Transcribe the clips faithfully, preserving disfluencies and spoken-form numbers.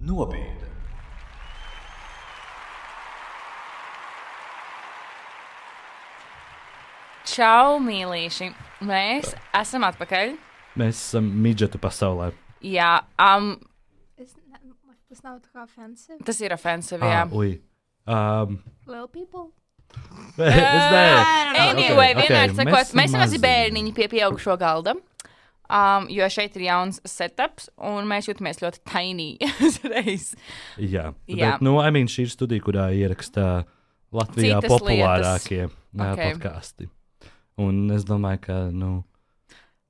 Nobīde. Čau, mīlīši! Mēs esam atpakaļ. Mēs esam midžetu pasaulē. Jā, um, Es ne, tas nav tā kā offensive. tas ir offensive, jā. Ah, ui. Um, Little people. es nevaru. Anyway, Ok, ok, vienmēr sakot, mēs mēs esam mazi mazi. bērniņi pie pieaugušo galda, um, jo šeit ir jauns setups, un mēs jūtamies ļoti tiny uzreiz. Jā, Jā. bet, nu, I mean, šī ir studija, kurā ierakstā Latvijā Citas populārākie Ok. okay. podkāsti. Un es domāju, ka, nu...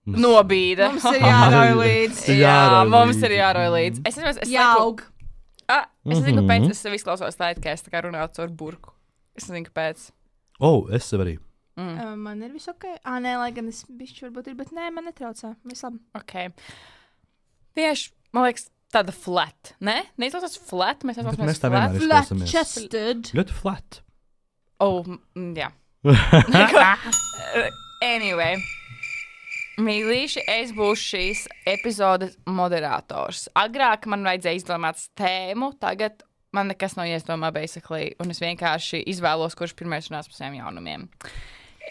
mums- Nobīde. Mums ir jārauj līdz. Jā, Jārauj mums līdzi. ir jārauj līdzi. Es nezinu, es saku, Jāaug. ah, es nezinu, Mhm. kāpēc es sev izklausos tā, it kā es tā kā runātu caur burku. Es nezinu, kāpēc. O, oh, es sev arī. Mm. Uh, man ir viss ok. Ā, nē, lai gan es bišķi varbūt ir, bet nē, man netraucē. Viss labi. Ok. Tieši, man liekas, tāda flat, ne? Neizklausās flat, mēs Bet esam mēs tā flat. vienmēr Flat izklausamies. chested. Ļoti flat. Oh, mm, jā. Anyway. Mīlīši, es būšu šīs epizodes moderators. Agrāk man vajadzēja izdomāt tēmu, tagad man nekas nav jāizdomā, basically, un es vienkārši izvēlos, kurš pirmais runās par saviem jaunumiem.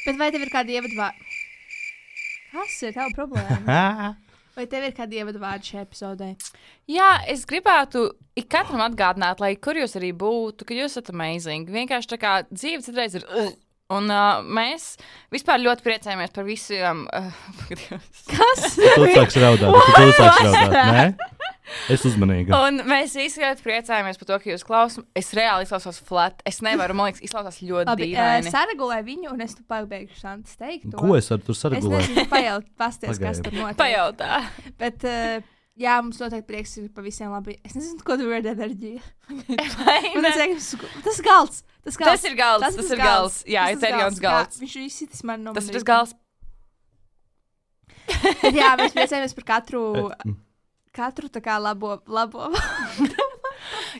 Bet vai tev ir kādi ievadvārdi? Kas ir tava problēma? Vai tev ir kādi ievadvārdi šajā epizodē? Jā, es gribētu ik katram atgādināt, lai kur jūs arī būtu, ka jūs esat amazing. Vienkārši tā kā dzīve citreiz ir... Uh, un uh, mēs vispār ļoti priecājamies par visiem... Uh, Kas? Tu sāks raudāt, tu sāks raudāt, nē? Es uzmanīgi. un mēs visi ļoti priecājamies par to, ka jūs klausāt. Es reāli izklausos flat. Es nevaru, man liekas, izklausās ļoti Labi, uh, dīvaini. saregulē viņu, un es tu pabeigšu Santas teikt. Ko es ar tur Es saregulēju? nezinu, pajaut, pasties, kas Pagaidi. tur notiek. Pajautā. Bet, uh, jā, mums noteikti prieks ir par visiem labi. Es nezinu, ko tu vari enerģija. Vai Man ne? liekas, tas ir galds. Tas, galds. Tas ir galds, tas, tas ir galds. Jā, Tas ir tas jauns galds. Kā, viņš izsitis man no Tas ir manis. tas galds. Bet, jā, mēs priecājamies par katru, katru tā kā labo, labo.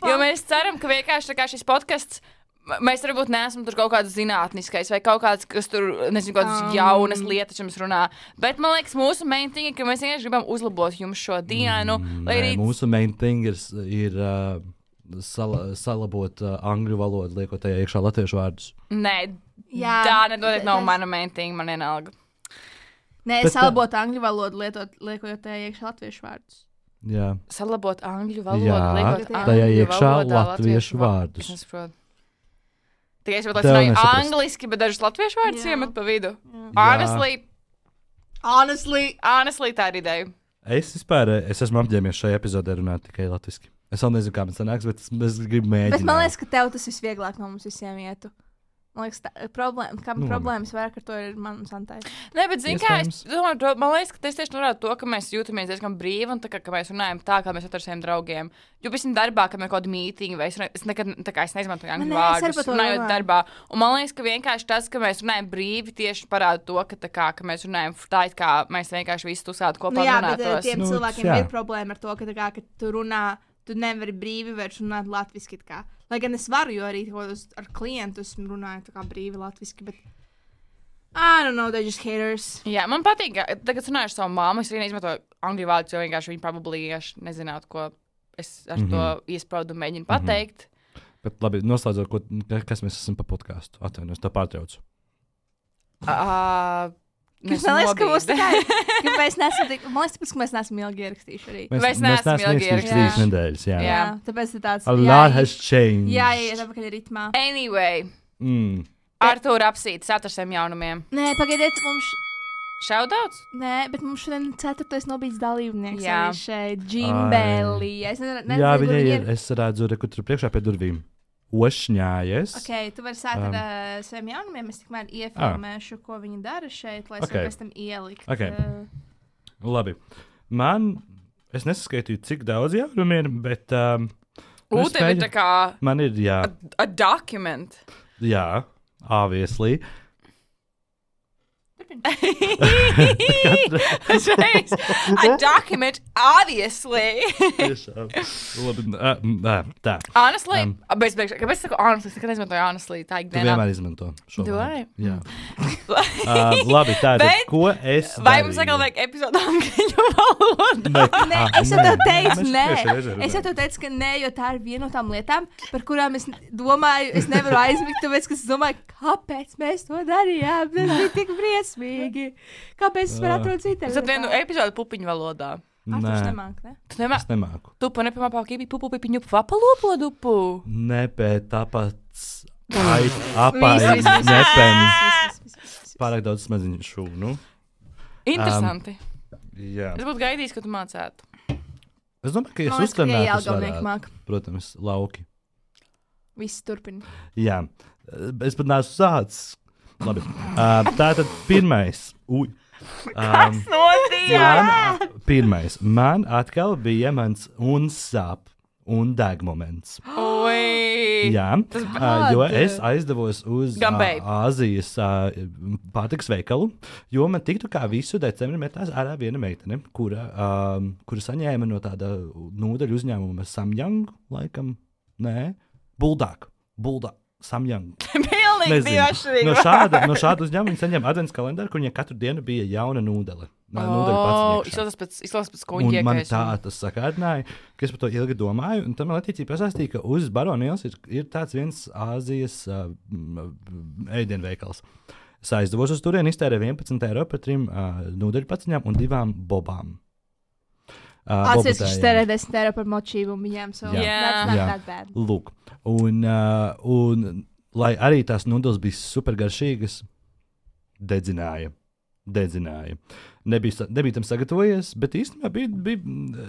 Jo mēs ceram, ka vienkārši tā kā šis podcasts, m- mēs varbūt neesam tur kaut kāds zinātniskais vai kaut kāds, kas tur, nezinu, kādas Um. jaunas lietas jums runā. Bet man liekas, mūsu main thing ir, ka mēs vienkārši gribam uzlabot jums šo dienu. Mm, Lai nē, arī mūsu main thing ir, ir uh, sala, salabot uh, angļu valodu, liekot tajā iekšā latviešu vārdus. Nē, Jā, tā nedodiet nav tas- mana main thing, man vienalga. Nē, Bet, salabot angļu valodu, lietot, liekot tajā iekšā latviešu vārdus. Jā, Salabot angļu valodu, Jā, liekot tajā angļu iekšā valodā latviešu va- vārdus. Es nesaprotu. Tikai es varbūt Tev runāju nesaprast. angliski, bet dažus latviešu vārdus Jā. iemet pa vidu. Jā. Honestly, Honestly. honestly, tā ir ideja. es vispār es esmu apģēmies šajā epizodē runāt tikai latviski. Es vēl nezinu, kā man sanāks, bet es, es gribu mēģināt. Bet man liekas, ka tev tas visvieglāk no mums visiem ietu. Man liekas, tā, problēma, kā Nu, problēmas vairāk ar to ir man un Santai. Nē, bet zini, kā es Iespējams. domāju, to- man liekas, ka tas tieši norāda to, ka mēs jūtamies diezgan brīvi un tā, kā, ka mēs runājam tā, kā mēs ar saviem draugiem. Jo pēc tam darbā, kad ir kaut kāda mītīņa, vai es, ne- es nekad tā kā es neizmantoju angļu nē, es arī vārdus, par to runājot domāju. darbā. Un man liekas, ka vienkārši tas, ka mēs runājam brīvi, tieši parāda to, ka, tā kā, ka mēs runājam tā, it kā mēs vienkārši visi tusētu kopā Nu, jā, bet eh, runātos. tiem Nu, cilvēkiem jā. ir problēma ar to, ka, tā kā, ka tu runā, tu nevari brīvi vairs runāt latviski. tā kā. Lai gan es varu, jo arī kaut kādus ar klientu esmu runājis tā kā brīvi latviski, bet I don't know, they're just haters. Jā, man patīk, ka tagad runāju ar savu māmu, es arī neizmantoju angļu vārdus, jo vienkārši viņi probably vienkārši nezinātu, ko es ar mm -hmm. to iespraudu mēģinu pateikt. Bet labi, noslēdzot, ko, ka- kas mēs esam pa podkāstu. Atvainojos, tā pārtraucu. Uh, Kas man liekas, ka mums tā kā ir. ka mēs neesam tik, man liekas, tāpēc, ka mēs neesam ilgi ierakstījuši arī. Mēs neesam ilgi ierakstījuši ierakstījuši. trīs nedēļas. Jā. Jā, Jā. tāpēc ir tāds. A lot has changed. Jā, jā, tā pakaļ ritmā. Anyway, Mm. Artūra apsītas ar saviem jaunumiem. Nē, pagaidiet, mums. Šaudauts? Nē, bet mums šodien ceturtais nobīdes dalībnieks Jā. arī šeit. Džimbelī. Es nezinu, nezinu, Jā, kur viņa viņi ir. Es redzu, re, kur tur priekšā pie durvīm. Ošņājies. Ok, tu vari sākt Um. ar uh, saviem jaunumiem. Es tikmēr iefilmēšu, ko viņi dara šeit, lai es Ok. varu pēc tam ielikt. Ok. Uh, Labi. Man, es neskaitīju, cik daudz jaunumu ir, bet um, U, es tev ir mēģinu- tā kā man ir, jā, a document. jā, obviously. Šreiz. A document, obviously. Tiešām. Labi, ā, m, ā, tā. Honestly, Um. um, bez, bez, kāpēc es saku honestly? Es nekad neizmantoju honestly, tā Tu ikdienā. vienmēr izmanto šo Do vārdu. I? Jā. Uh, labi, tātad, Bet ko es Vai mums atkal darīju? vajag epizodu angļu valodā? Nē, Nē, ah, es jau tev teicu, Mēs nē. tieši reizē Es jau runājam. tev teicu, ka nē, jo tā ir viena no tām lietām, par kurām es domāju, es nevaru aizmigt, tāpēc, ka es domāju, kāpēc mēs to darījām. Tas bija tik briesmīgi. Kāpēc es varu atrast citu? Es atvienu epizodu pupiņu valodā. Ar to Nē, nemāk, ne? Tu nemā... es nemāku. Tu pa nepamā pākībi pupu pipiņu papalopo dupu. Nē, bet tāpēc ai, apai, Viss, viss, viss. nepem, Viss, viss, viss, viss. pārāk daudz smedziņu šūnu. Interesanti. Jā. Es būtu gaidījis, ka tu mācētu. Es domāju, ka Man es liekas, ka uztrenētu, Jāla es galvenieki varētu. māk. Protams, lauki. Viss turpina. Jā, es pat neesmu sācis. Labi. Uh, tātad pirmais. Uj. Um, man, pirmais. Man atkal bija mans un sāp un deg moments. Oi! Jā, Tas uh, jo es aizdevos uz uh, Gambēju. Āzijas uh, pārtikas veikalu, jo man tiktu kā visu decembri metās ārā viena meitene, kura, um, kura saņēma no tāda nūdeļu uzņēmuma Samjang, laikam, nē, Buldāk, Buldāk, Samjang. Pilnīgi bija atšķirīgi. No šāda, no šāda uzņēmuma viņa saņem advents kalendāru, kur viņai katru dienu bija jauna nūdele. Nā, nūdeļu Oh, paciņiekšā. izklausās pēc, izklausās pēc Un kuņģieka. man tā tas sakārdināja, ka es par to ilgi domāju. Un tad man attiecīgi pastāstīja, ka uz Baronielas ir, ir tāds viens Āzijas uh, ēdienveikals. Es aizdevos uz turieni, iztērēju vienpadsmit eiro par trim uh, nūdeļu paciņām un divām bobām. Uh, Atceries, ka bobutējiem. šis tērē desmit eiro par močību un viņiem savu. Jā. That's not Jā. that bad. Lūk, un, uh, un lai arī tās nūdeles bija supergaršīgas, dedzināja. Dedzināja. Nebija, sa- nebija tam sagatavojies, bet īstenībā bija, bija,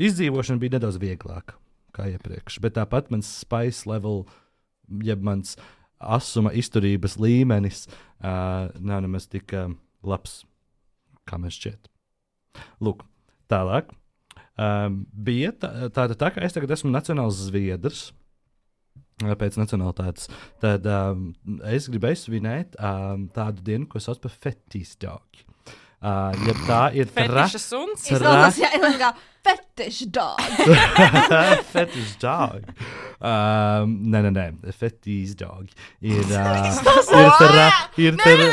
izdzīvošana bija nedaudz vieglāka kā iepriekš. Bet tāpat mans spice level, jeb mans asuma izturības līmenis uh, nav nemaz tik uh, labs, kā mēs šķiet. Lūk, tālāk. Um, bija tā, tā, tā, kā es tagad esmu nacionāls zviedrs, uh, pēc nacionālitātes, tad um, es gribēju svinēt um, tādu dienu, ko sauc par fetīstāki. Uh, ja tā ir Fetiša suns. Izklausās, jā, ir kā fetish dog. Fetish dog. Um, nē, nē, nē, fetish dog. Ir, uh, ir tra, ir tra,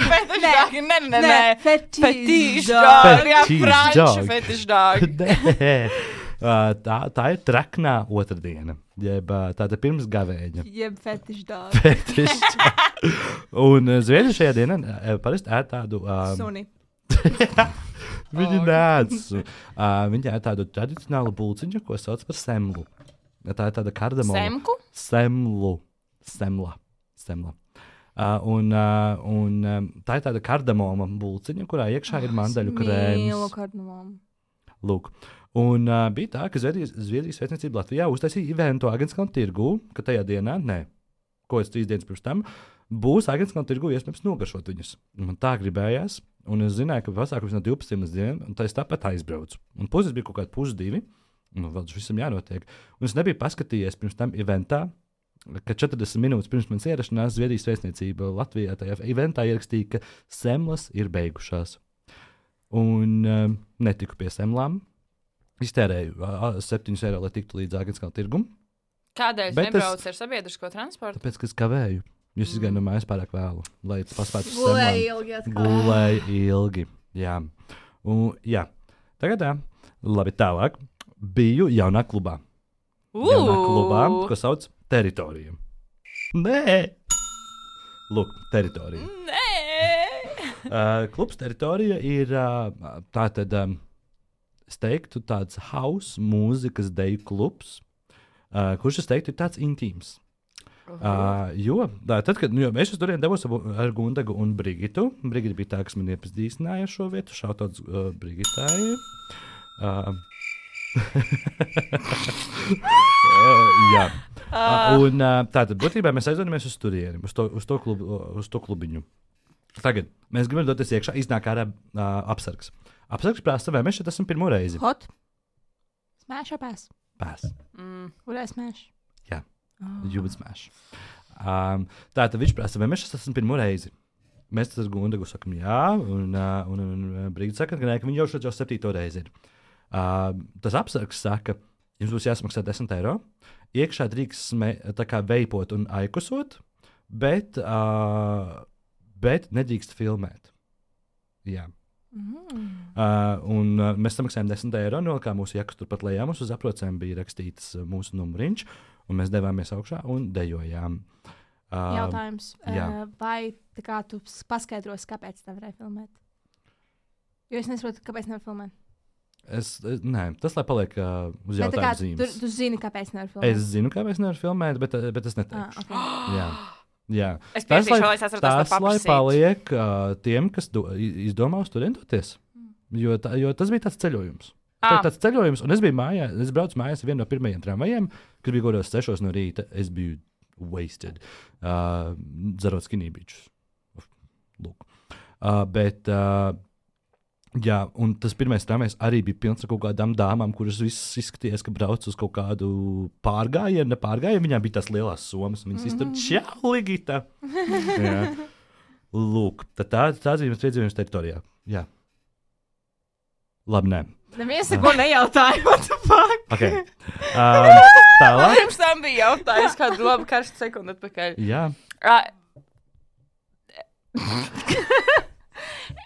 Fetiša dog. Nē, nē, nē. Fetish Fetiša dog. dog. Jā, Fetish franču dog. fetiša dog. Nē. Uh, tā, tā ir traknā otrdiena, jeb uh, tāda pirms gavēņa. Jeb fetish dog. Fetish dog. Un uh, zviedri šajā dienā uh, parasti ēd tādu. Um, Suni. Viņi Oh. nēdz. Uh, viņi ēd tādu tradicionālu bulciņu, ko sauc par semlu. Tā ir tāda kardamoma. Semku? Semlu. Semla. Semla. Uh, un, uh, un um, tā ir tāda kardamoma bulciņa, kurā iekšā ir mandaļu Mīlu krēms. kardamomu. Lūk. Un uh, bija tā, ka Zviedrijas, Zviedrijas vēstniecība Latvijā uztaisīja eventu Agenskalnu tirgū, ka tajā dienā, nē, ko es trīs dienas pirms tam, būs Agenskalnu tirgū iespējams nogaršot viņus. Un man tā gribējās, un es zināju, ka pasākums no divpadsmit līdz diviem, un tā es tāpat aizbraucu. Un puses bija kaut kādi pusdivi, un vēl tas visam jānotiek. Un es nebiju paskatījies pirms tam eventā, ka četrdesmit minūtes pirms manas ierašanās Zviedrijas vēstniecība Latvijā tajā eventā ierakstīja, ka semlas ir beigušās. Un um, netiku pie semlām. Iztērēju uh, septiņus eiro, lai tiktu līdz Agenskalnu tirgum. Kādēļ Bet es- nebrauc ar sabiedrisko transportu? Tāpēc, ka es kavēju. Jūs izgājāt no mājas pārāk vēlu, lai paspētu uz Gulēja semlām. ilgi atkal. Gulēju ilgi. Jā. Un, jā. Tagad tā. Labi, tālāk. Biju jaunā klubā. Jaunā klubā, ko sauc Teritorija. Nē! Lūk, Teritorija. Nē! Uh, klubs Teritorija ir uh, tātad, um, es teiktu, tāds house mūzikas deju klubs, uh, kurš, es teiktu, ir tāds intīms. Uh, jo, tā, tad, kad nu, jo es uz turieni devos abu- ar Gundagu un Brigitu, Brigita bija tā, kas man iepazīstināja ar šo vietu, šautauts uh, Brigitai. Uh, uh, jā. Uh, un uh, tātad, būtībā mēs aizdodamies uz turieni, uz to, uz to, klubu, uz to klubiņu. Tagad mēs gribam doties iekšā, iznāk ārā uh, apsargs. Apsargs prasa, vai mēs šeit esam pirmo reizi. Hot. Smash or pass? Pēc. Mm. Would I smash? Jā. Oh. You would smash. Um, tātad viņš prasa, vai mēs šeit esam pirmo reizi. Mēs tad ar Gundagu sakam, jā, un, uh, un, un, un Brigita saka, ka, nē, ka viņi jau šeit jau septīto reizi ir. Uh, tas apsargs saka, jums būs jāsamaksā desmit eiro. Iekšā drīkst sme, tā kā veipot un aikusot, bet, uh, bet nedrīkst filmēt. Jā. Mm. Uh, un uh, mēs samaksājām desmit eiro, nolikām mūsu jakas turpat lejā. Mums uz aprocēm bija rakstīts uh, mūsu numuriņš, un mēs devāmies augšā un dejojām. Uh, Jautājums. jā. Uh, vai tā kā tu paskaidrosi, kāpēc tā varēja filmēt? Jo es nesaprotu, kāpēc nevar filmēt. Es, es, nē, tas lai paliek uh, uz Bet tā kā jautājumu tu, zīmes. tu zini, kāpēc nevar filmēt. Es zinu, kāpēc nevar filmēt, bet, bet es neteikšu. Ah, okay. Jā. Jā. Es Tas, piekrītu, lai, lai es atceros to tas, lai paprasīt. paliek uh, tiem, kas do, i- izdomā uz turieni doties. Jo, tā, jo tas bija tāds ceļojums. Tā Ah. ir tāds ceļojums, un es biju mājā, es braucu mājās ar vienu no pirmajiem tramvajiem, kad bija godos sešos no rīta. Es biju wasted, uh, dzerot skinībīčus. Lūk. Uh, bet, uh, jā, un tas pirmais tramvajs arī bija pilns ar kaut kādām dāmām, kuras visas izskatījās, ka brauc uz kaut kādu pārgājienu, ne pārgājienu. Viņām bija tās lielās somas, un viņas iztur čau, Ligita! Jā. Lūk, tad tā, tāds bija mans piedzīvojums teritorijā. Jā. Labi, nē. Neviens neko nejautāja. What the fuck? Okay. Um, tālāk. Pirms tam bija jautājums, kādu labu karstu sekundi atpakaļ. Jā. Uh,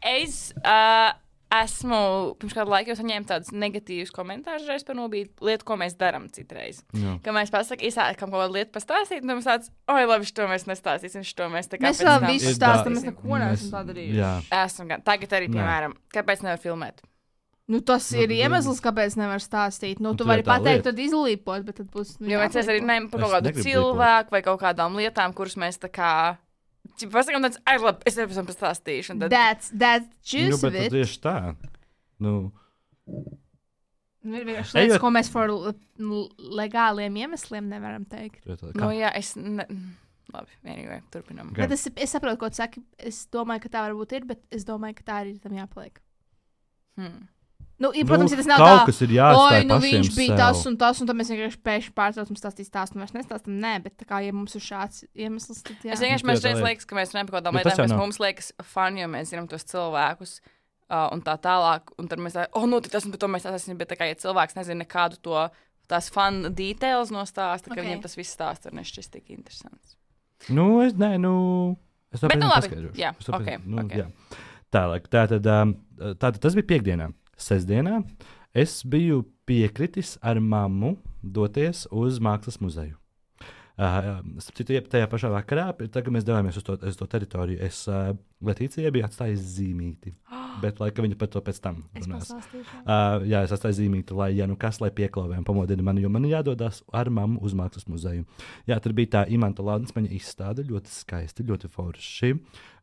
es uh, esmu pirms kādu laiku saņēmu tādus negatīvus komentārus reiz par nobīdu lietu, ko mēs darām citreiz. Jā. Kad mēs pasakām, izsākam kaut kādu lietu pastāstīt, un mums tāds, oi, labi, šo mēs nestāstīsim, šo mēs tā kā Mēs pēc vēl tam- visu Ir stāstam, tā- mēs neko neesam tā darījuši. Jā. Esam gan. Tagad arī, Nē. piemēram, kāpēc nevar filmēt? Nu, tas Nu, ir nu, iemesls, kāpēc nevar stāstīt. Nu, Nu, tu tur vari ir tā pateikt, lieta. tad izlīpot, bet tad būs. Nu, Jo mēs arī jāaplīpo. runājam par Es kaut kādu negribu cilvēku vai kaut kādām lietām, kuras mēs tā kā. Pasakām, tāds, ai, labi, es tev pēc tam pastāstīšu. un Tad... That's, that's Nu, juice bet of tad it. tieši tā. Nu, Nu, ir vienkārši Ejot- lietas, ko mēs par l- legāliem iemesliem nevaram teikt. tā, tā, Nu, kā? jā, es. Ne... Labi, anyway, turpinām. Gan. Bet es, es saprotu, ko tu saki. Es domāju, ka tā varbūt ir, bet es domāju, ka tā arī tam jāpaliek. Hmm. Nu, ir, protams, Nu, ja tas nav kaut tā. kas ir jāatstāj Oi, nu pašiem viņš bija sev. tas un tas, un tad mēs vienkārši pēkšņi pārtraucam stāstīt stāstu, un vairs nestāstam. Nē, bet tā kā, ja mums ir šāds iemesls, tad jā. Es vienkārši Nu, mēs tā šeit lieta. liekas, ka mēs runājam par kaut kādām Bet tas lietām, jau kas nav. mums liekas fani, jo mēs zinām tos cilvēkus. Uh, un tā tālāk, un tad mēs tā, oh, nu, tas un par to mēs esam. Bet, tā kā, ja cilvēks nezina nekādu to tās fanu details no stāsta, ka Ok. viņam tas viss stāsts var nešķist tik interesants. Nu, es, nē, nu, es to Bet, nu, labi. paskaidrošu. Jā, Es to ok, pēc- nu, ok. jā. Tālāk, tātad, um, tātad tas bija piekdienā. Sestdienā es biju piekritis ar mammu doties uz Mākslas muzeju. Uh, starp citu, jeb tajā pašā vakarā, tad, kad mēs devāmies uz to, uz to teritoriju, es uh, Letīcijai biju atstājis zīmīti. Bet, lai viņa par to pēc tam Es runās. pastāstīšu. Uh, jā, es atstāju zīmīti, lai, ja nu kas, lai pieklauvējam, pamodina mani, jo man ir jādodas ar mammu uz Mākslas muzeju. Jā, tur bija tā Imanta Laudensmaņa izstāde, ļoti skaisti, ļoti forši.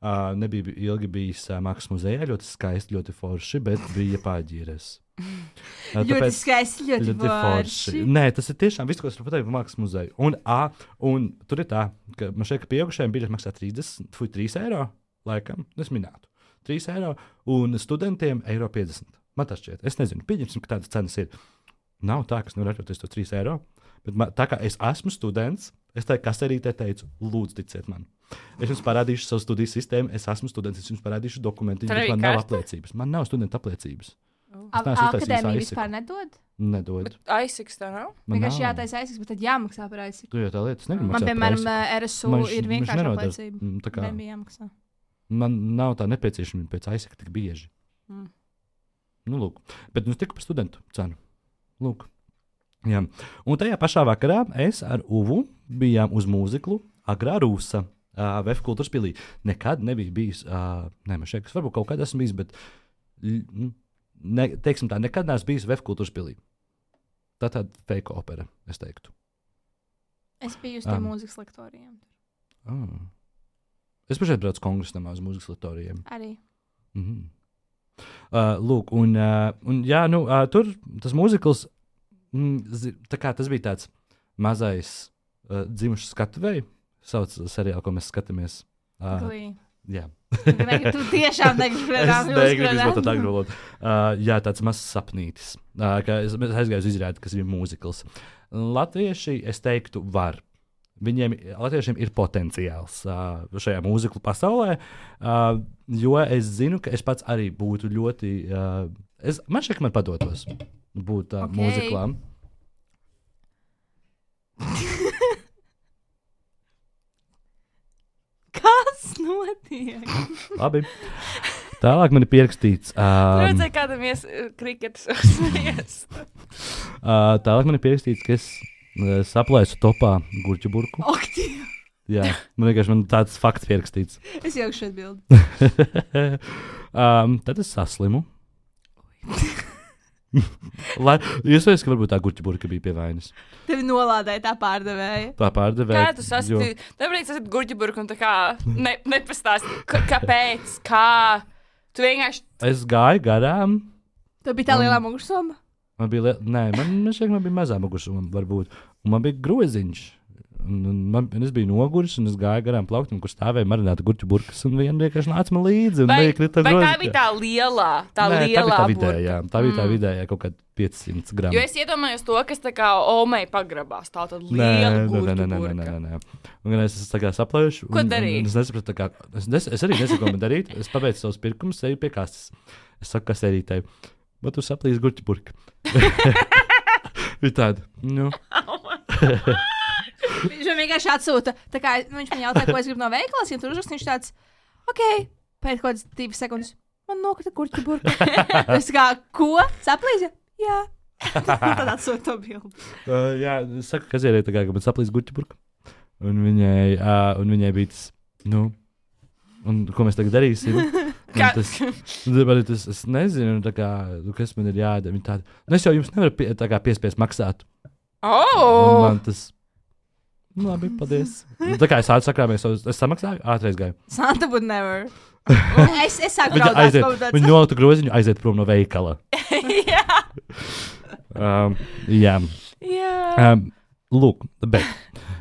Uh, nebija ilgi bijis uh, Mākslas muzejā, ļoti skaisti, ļoti forši, bet bija pārģīres. Uh, Ļoti skaisti, ļoti forši. Nē, tas ir tiešām viss, ko es varu pateikt par Mākslas muzeju. Un, a, un tur ir tā, ka man šeit, ka pieaugušajiem biļets maksā trīsdesmit, fuj, trīs eiro, laikam, es minētu. trīs eiro, un studentiem eiro piecdesmit. Man tas šķiet, es nezinu, pieņemsim, ka tādas cenas ir. Nav tā, ka es nevaru atļauties to trīs eiro, bet man, tā kā es esmu students, es tai kaserītē teicu, lūdzu, ticiet man. Es jums parādīšu savu studiju sistēmu, es esmu students, es jums parādīšu dokumentu, Tur bet arī man nav karsta? apliecības. Man nav studenta apliecības. A- neesmu uztaisījis Akadēmija aizseku. vispār nedod. Nedod. Aisiks tā nav? Man Vienkārši nav. jātaisa aizsaks, bet tad jāmaksā par aizsaks. Tu jau tā lietas negribi Man, maksāt par piemēram, aizseku. R S U Man š- ir viņš vienkārši nenodara. apliecība. Mm, tā kā- Nebija jāmaksā. Man nav tā nepieciešamība pēc aizsaka tik bieži. Mm. Nu, lūk. Bet nu, tikai par studentu cenu. Lūk. Jā. Un tajā pašā vakarā es ar Uvu bijām uz mūziklu Agrā Rūsa, uh, Vēf kultūras pilī. Nekad nebija bijis, uh, ne, man šeit, varbūt kaut kad esmu bijis, bet, l- nu, ne, teiksim tā, nekad neesmu bijis Vēf kultūras pilī. Tā tāda fake opera, es teiktu. Es biju uz Ah. tiem mūzikas lektoriem. Ah. Es pašai braucu kongresnamā uz mūzikas lektorijiem. Arī. Mhm. Uh, lūk, un, uh, un jā, nu, uh, tur tas mūzikls, mm, zi- tā kā tas bija tāds mazais uh, dzimušs skatuvēji, sauc seriālu, ko mēs skatāmies. Uh, Glī. jā. Tu tiešām negribi Es redzēt, negribu izmantot angļu valodu. Uh, jā, tāds mazs sapnītis. Uh, ka es es aizgāju uz izrādi, kas ir mūzikls. Latvieši, es teiktu, var. Viņiem, latviešiem ir potenciāls uh, šajā mūziklu pasaulē, uh, jo es zinu, ka es pats arī būtu ļoti. Uh, es, man šķiet, ka man padotos būt uh, Ok. okay. mūziklām. Kas notiek? netiek. Labi. Tālāk man ir pierakstīts. Tu Um, redzēji, kādam ies kriketas uzsmies. uh, tālāk man ir pierakstīts, ka es uh, saplēsu topā gurķu burku. Ak, tie. Jā, man vienkārši man tāds fakts pierakstīts. Es jau šeit bildu. um, tad es saslimu. Lai, iespējams, ka varbūt tā gurķa burka bija pie vainas. Tevi nolādēja tā pārdevēja. Tā pārdevēja. Kā tu sasprāti? Tāpēc es esmu gurķa burka un tā kā ne, nepastāsti, ka, kāpēc, kā. Tu vienkārši. Es gāju garām. Tev bija tā lielā mugursoma? Man bija, liel... Nē, man, man šeit man bija mazā mugursoma, varbūt. Un man bija groziņš. Un, un man, un es biju noguris, un es gāju garām plauktam, kur stāvēja marināta gurķu burkas, un viena vienkārši nāca man līdzi. Vai, krita vai tā grozi- bija tā lielā, tā Nē, lielā tā bija tā burka? vidējā. Tā bija tā vidējā kaut kāda piecsimt gramu. Jo es iedomājos to, kas tā kā Omei pagrabās. Tā tad Nē, liela nē, gurķa nē, nē, burka. nē, nē, nē. Un es tā kā saplēšu. Ko un- un- darīt? un Es nesapratu, tā kā. Es, nes, es arī nesaku, ko man darīt. Es pabeidzu savus pirkumus, eju pie kastes. Es saku, kas erītēji. Bet tu saplīsi gurķu burka. Bija tāda. Nu. Viņš man vienkārši atsūta. Tā kā nu, viņš man jautāja, ko es gribu no veikala, ja tur uzrakst, viņš tāds, ok, pēc kaut kādas divas sekundes. Man nokrita gurķa burka. Es kā, ko? Saplīsi? Jā. Tad atsūta to bildi. Uh, jā, es saku, kas ierēja tā kā, ka man saplīsi gurķu burka. Un viņai, uh, un viņai bija tas, nu, un ko mēs tagad darīsim? Un Kā- tas, tas, tas, es nezinu, tā kā, nu, kas man ir jādara. Viņa tāda, nu, es jau jums nevaru pie, tā kā piespiest maksāt. Un Oh! man tas, nu, labi, paldies. Un tā kā es ātri sakrāmies, es, es samaksāju, ātreiz gāju. Santa would never. Es, es sāku Viņa raudāt. aiziet, kaut tāds- viņa nolika groziņu, aiziet prom no veikala. Jā. Um, jā. Jā. Um, lūk, bet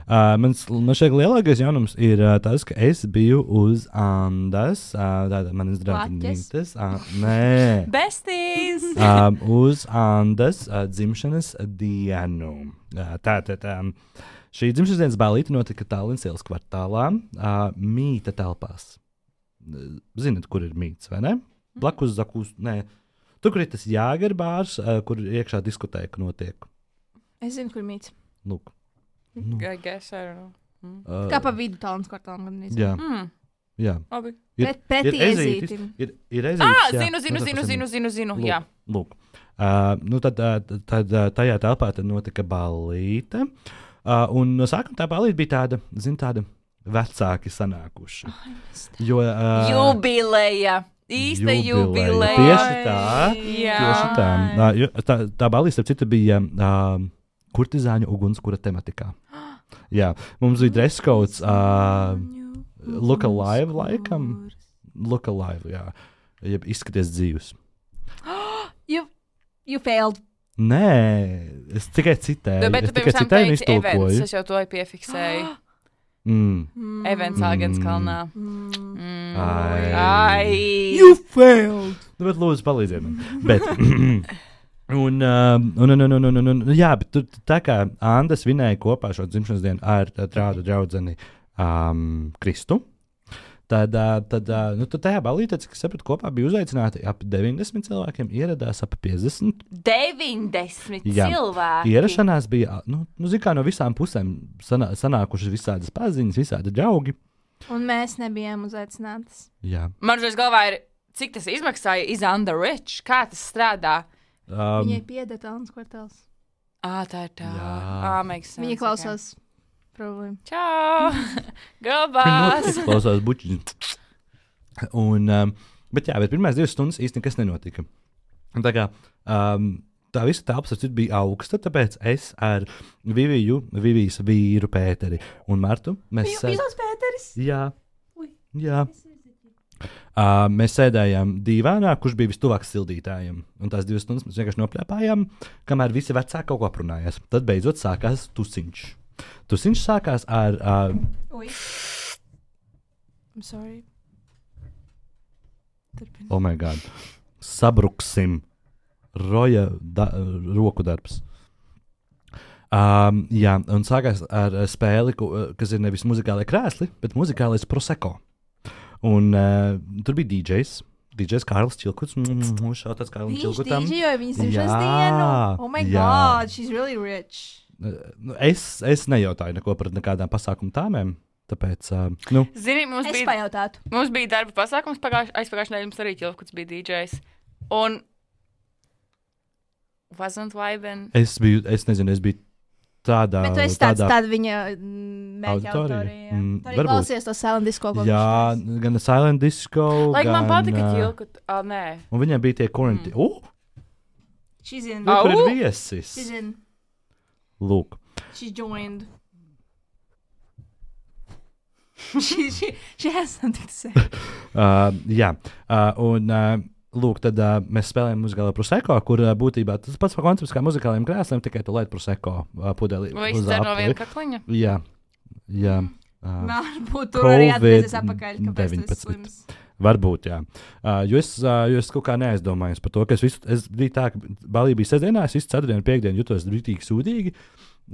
uh, mans, man šeit lielākais jaunums ir uh, tas, ka es biju uz Andas, uh, tāda manas draugiņas. Uh, nē. Besties! um, uz Andas uh, dzimšanas dienu. Uh, Tātad um, šī dzimšanas dienas ballīte notika Tallinas ielas kvartālā, uh, mīta telpās. Uh, Zinat, kur ir mīts, vai ne? Blakus Zakus, nē. Tur, kur ir tas Jāgerbārs, uh, kur iekšā diskotēka notiek. Es zinu, kur mīts. Lūk. Nu, I guess, I don't know. uh, Kā pa vidu talants kvartālam. gandrīz. Jā, Mm, jā. labi. Ir- Pret, pretī ir ezītis, ezītim. Ir, ir ezītis, Ah, jā. zinu, zinu, Nu, tad zinu, tas ir- zinu, zinu, zinu. Lūk, Jā. lūk. Uh, nu tad, uh, tad uh, tajā telpā tad notika ballīte. Uh, un no sākuma tā ballīte bija tāda, zin, tāda vecāki sanākuši. Jo, uh, Jubileja. Īsta jubileja. jubileja. Tieši tā. Jā. Tieši tā. Uh, jo, tā, tā ballīte, starp citu, bija uh, kurtizāņu ugunskura tematikā. Jā, mums bija dress codes. Uh, Look alive, laikam. Look alive, jā. Jeb izskaties dzīvs. You, you failed. Nē, es tikai citēju. Nu, bet es tu tikai pirms tam citēju un teici events. iztulkoju. Es jau to piefiksēju. Mm. Events Āgenskalnā. Mm. Mm. Ai. Ai. You failed! Nu, bet lūdzu, palīdziet man. Bet, un, um, un, un, un, un, un, un, jā, bet tur tā kā Anda svinēja kopā šo dzimšanas dienu ar tā draugu draudzeni um, Kristu. Tad, uh, tad, uh, nu, tad tajā balītē, cik es sapratu, kopā bija uzaicināti ap deviņdesmit cilvēkiem, ieradās ap piecdesmit. deviņdesmit Jā. cilvēki. Ierašanās bija, nu, nu zin kā no visām pusēm sanā, sanākušas visādas paziņas, visādi draugi. Un mēs nebijām uzaicinātas. Jā. Man šeit galvā ir, cik tas izmaksāja Is Under Rich? Kā tas strādā? Um, Viņai pieder talants kvartāls. Ā, tā ir tā. Jā. Ā, makes sense. Viņa klausās problēmu. Čau! Viņa Gabās! noteikti klausās bučiņus. Un, um, bet jā, bet pirmās divas stundas īsti nekas nenotika. Un tā kā um, tā visa telpa bija augsta, tāpēc es ar Viviju, Vivijas vīru Pēteri un Martu, mēs sēd... Jūs Pēteris? Jā, Ui. jā. Uh, mēs sēdējām dīvainā, kurš bija vistuvāk sildītājiem. Un tās divas stundas mēs vienkārši nopļāpājām, kamēr visi vecāki kaut ko aprunājās. Tad beidzot sākās tusiņš. Tusiņš sākās ar... Uh, Ui. I'm sorry. Turpini. oh my god. Sabruksim. Roja da, roku darbs. Um, jā, un sākās ar uh, spēli, ku, uh, kas ir nevis muzikālais krēsli, bet muzikālais proseko. Un uh, tur bija D Js. D Js Kārlis Čilkuts. Šautāts Kārlim Viņš Čilkutam. dīdžejoja viņas dzimšanas Jā, dienu. Oh my jā. god, she's really rich. Uh, Es, es nejautāju neko par nekādām pasākumu tāmēm. tāpēc, uh, nu, Zini, mums Es bija, pajautātu. mums bija darba pasākums pagājušajā aizpagājušajā nedēļā, mums arī Ķilkuts bija D Js. Un wasn't Viben. es biju, es nezinu, es biju tādā, Bet tu esi tāds, tādā tāda viņa mēģina auditorija? auditorija. Mm, Tu arī varbūt. klausies to Silent Disco. ko jā, viņš teica. gan Silent Disco, Lai gan, man patika ā, Ķilkut. Ah, nē. un viņiem bija tie quarantine. Mm. Uh, She's in. Au! kur ir viesis? She's in. Lūk. She joined. she, she, she has something to say. Uh, jā, uh, un uh, lūk, tad uh, mēs spēlējam muzikālo proseko, kur uh, būtībā tas pats koncepts kā muzikālajiem krēsliem, tikai tu lieti proseko uh, pudelī. Vai uz viņš der no apli. viena kakliņa? Jā, jā. Uh, Varbūt tur arī atgriezies atpakaļ, kāpēc tu esi deviņpadsmit. slims. Varbūt, jā. Uh, jo, es, uh, jo es kaut kā neaizdomājos par to, ka es visu, es biju tā, ka balī bija sestdienā, es visu ceturtdienu, piekdienu jutos rītīgi sūdīgi.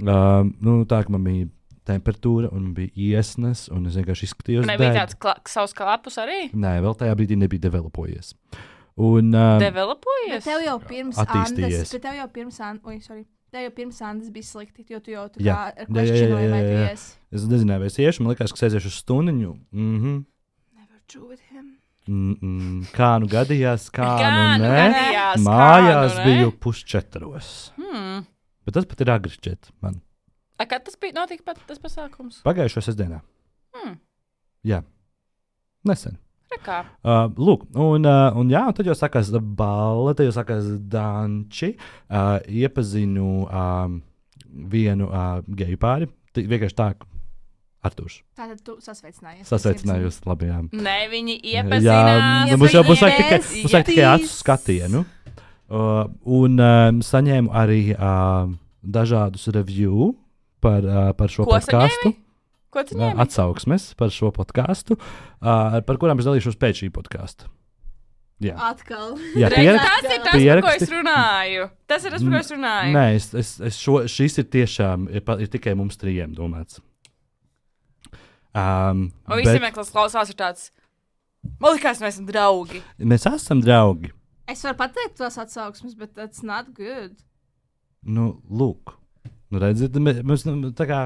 Uh, nu, tā, ka man bija temperatūra un man bija iesnas, un es vienkārši izskatījos Nebija dead. tāds kla savs klapus arī? Nē, vēl tajā brīdī nebija developojies. Un, uh, Bet Developojies? tev jau pirms Attīstījies. Andas, bet tev jau pirms Andas, oi, sorry. Tev jau pirms Andas bija slikti, jo tu jau tā Jā. kā ar Jā, jā, jā, questionoju, vai jā, tu jā. ies. es nezināju, vai es iešu, man likās, ka sēžēšu uz stundiņu. Mm-hmm. Never true with him. Mm-mm. Kā nu gadījās, kā, Kā nu nu ne? gadījās, kā Mājās nu ne? biju pusčetros. Hmm. Bet tas pat ir agri čet man. A, kad tas bija notika pat tas pasākums? Pagājušo sestdienā. Hmm. Jā. Nesen. Rekā. Uh, lūk, un, uh, un jā, un tad jau sākās balva, tad jau sākās danči. Uh, iepazinu um, vienu uh, geju pāri. T vienkārši tā, Artūrs. Tātad tu sasveicinājies. Sasveicinājos labi, jā. Nē, viņi Jā, iepazinās. nu, mums jau būs vajag tikai, Iepazīties. mums vajag tikai acu skatienu. Uh, un um, saņēmu arī uh, dažādus review par, uh, par šo Ko podkāstu. saņēmi? Ko tu Uh, ņēmi? atsauksmes par šo podkāstu, uh, par kurām es dalīšos pēc šī podkāsta. Jā, Atkal. jā Redz, pierak tas ir tas, par ko pieraksti- es runāju. Tas ir tas, par ko es runāju. Nē, es, es, es šo, šis ir tiešām ir, pa- ir tikai mums trijiem domāts. Um, Un visiem, kas klausās, ir tāds. Man liekas, mēs esam draugi. mēs esam draugi. Es varu pateikt tos atsauksmes, bet that's not good. Nu, lūk, nu, redziet, mē- mēs nu, tā kā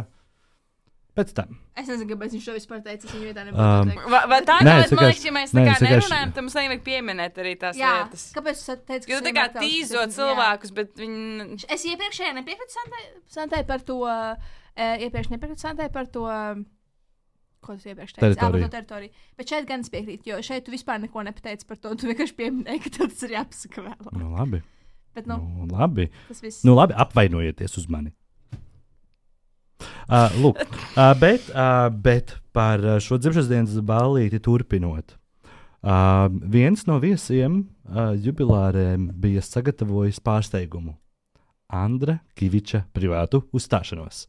pēc tam. Es nezinu, kāpēc viņš to vispār teica. Es viņu vietā Um, nebūtu teikt. Va, vai tā Nē, ir? es Man vienkārši- liekas, ja mēs nē, tā kā es vienkārši- nerunājam, tad mums nevajag pieminēt arī tās Jā, lietas. kāpēc tu teici, Jo tu tā kā tīzot cilvēkus, bet viņi. Es iepriekšējā nepiekrītu Santai, Santai par to, uh, iepriekš nepiekrītu Santai par to, uh, ko tu iepriekš teici? Teritoriju. Ā, par to teritoriju. Bet šeit gan es piekrītu, jo šeit tu vispār neko nepateici par to. Tu vienkārši pieminēji, ka tev tas ir jāpasaka vēl. Nu, labi. Bet, nu, Nu, labi. tas viss. Nu, labi, apvainojieties uz mani. Uh, lūk, uh, bet, uh, bet par uh, šo dzimšanas dienas ballīti turpinot. Uh, viens no viesiem uh, jubilārēm bija sagatavojis pārsteigumu. Andra Kiviča privātu uzstāšanos.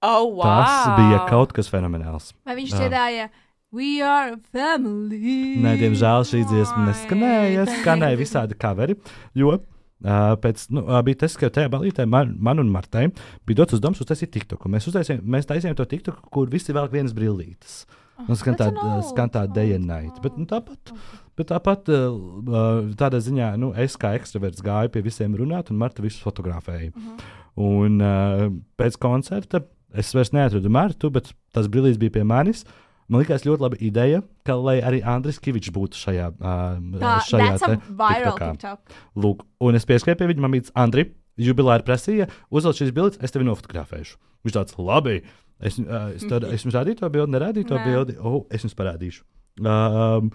Oh, wow. Tas bija kaut kas fenomenāls. Vai viņš Jā. dziedāja We are a family? Nē, diemžēl šī dziesma Ai, neskanēja. tā Skanēja ir. visādi coveri. Jo uh, pēc, nu, uh, bija tas, ka tajā balītē man, man un Martai bija dots uzdevums uztaisīt TikToku. Mēs, uztaisījām, mēs taisījām to TikToku, kur visi velk vienas brillītes. Un skan that's tā, an old skan tā day and song. night. Bet, nu, tāpat, bet tāpat uh, uh, tādā ziņā, nu, es kā ekstraverts gāju pie visiem runāt, un Marta visus fotografēja. Mhm. Un uh, pēc koncerta es vairs neatradu Martu, bet tas brillītes bija pie manis. Man liekas, ļoti laba ideja, ka lai arī Andris Kivičs būtu šajā, uh, Tā, šajā that's a te viral TikTokā. TikTok. Lūk, un es pieskrēju pie viņa, man bija Andri, jubilāri prasīja, uzvelc šīs bildes, es tevi nofotografēšu. Viņš tāds, labi, es, uh, es, tad, es jums rādīju to bildi, nerādīju to Nē. bildi, oh, es jums parādīšu. Um,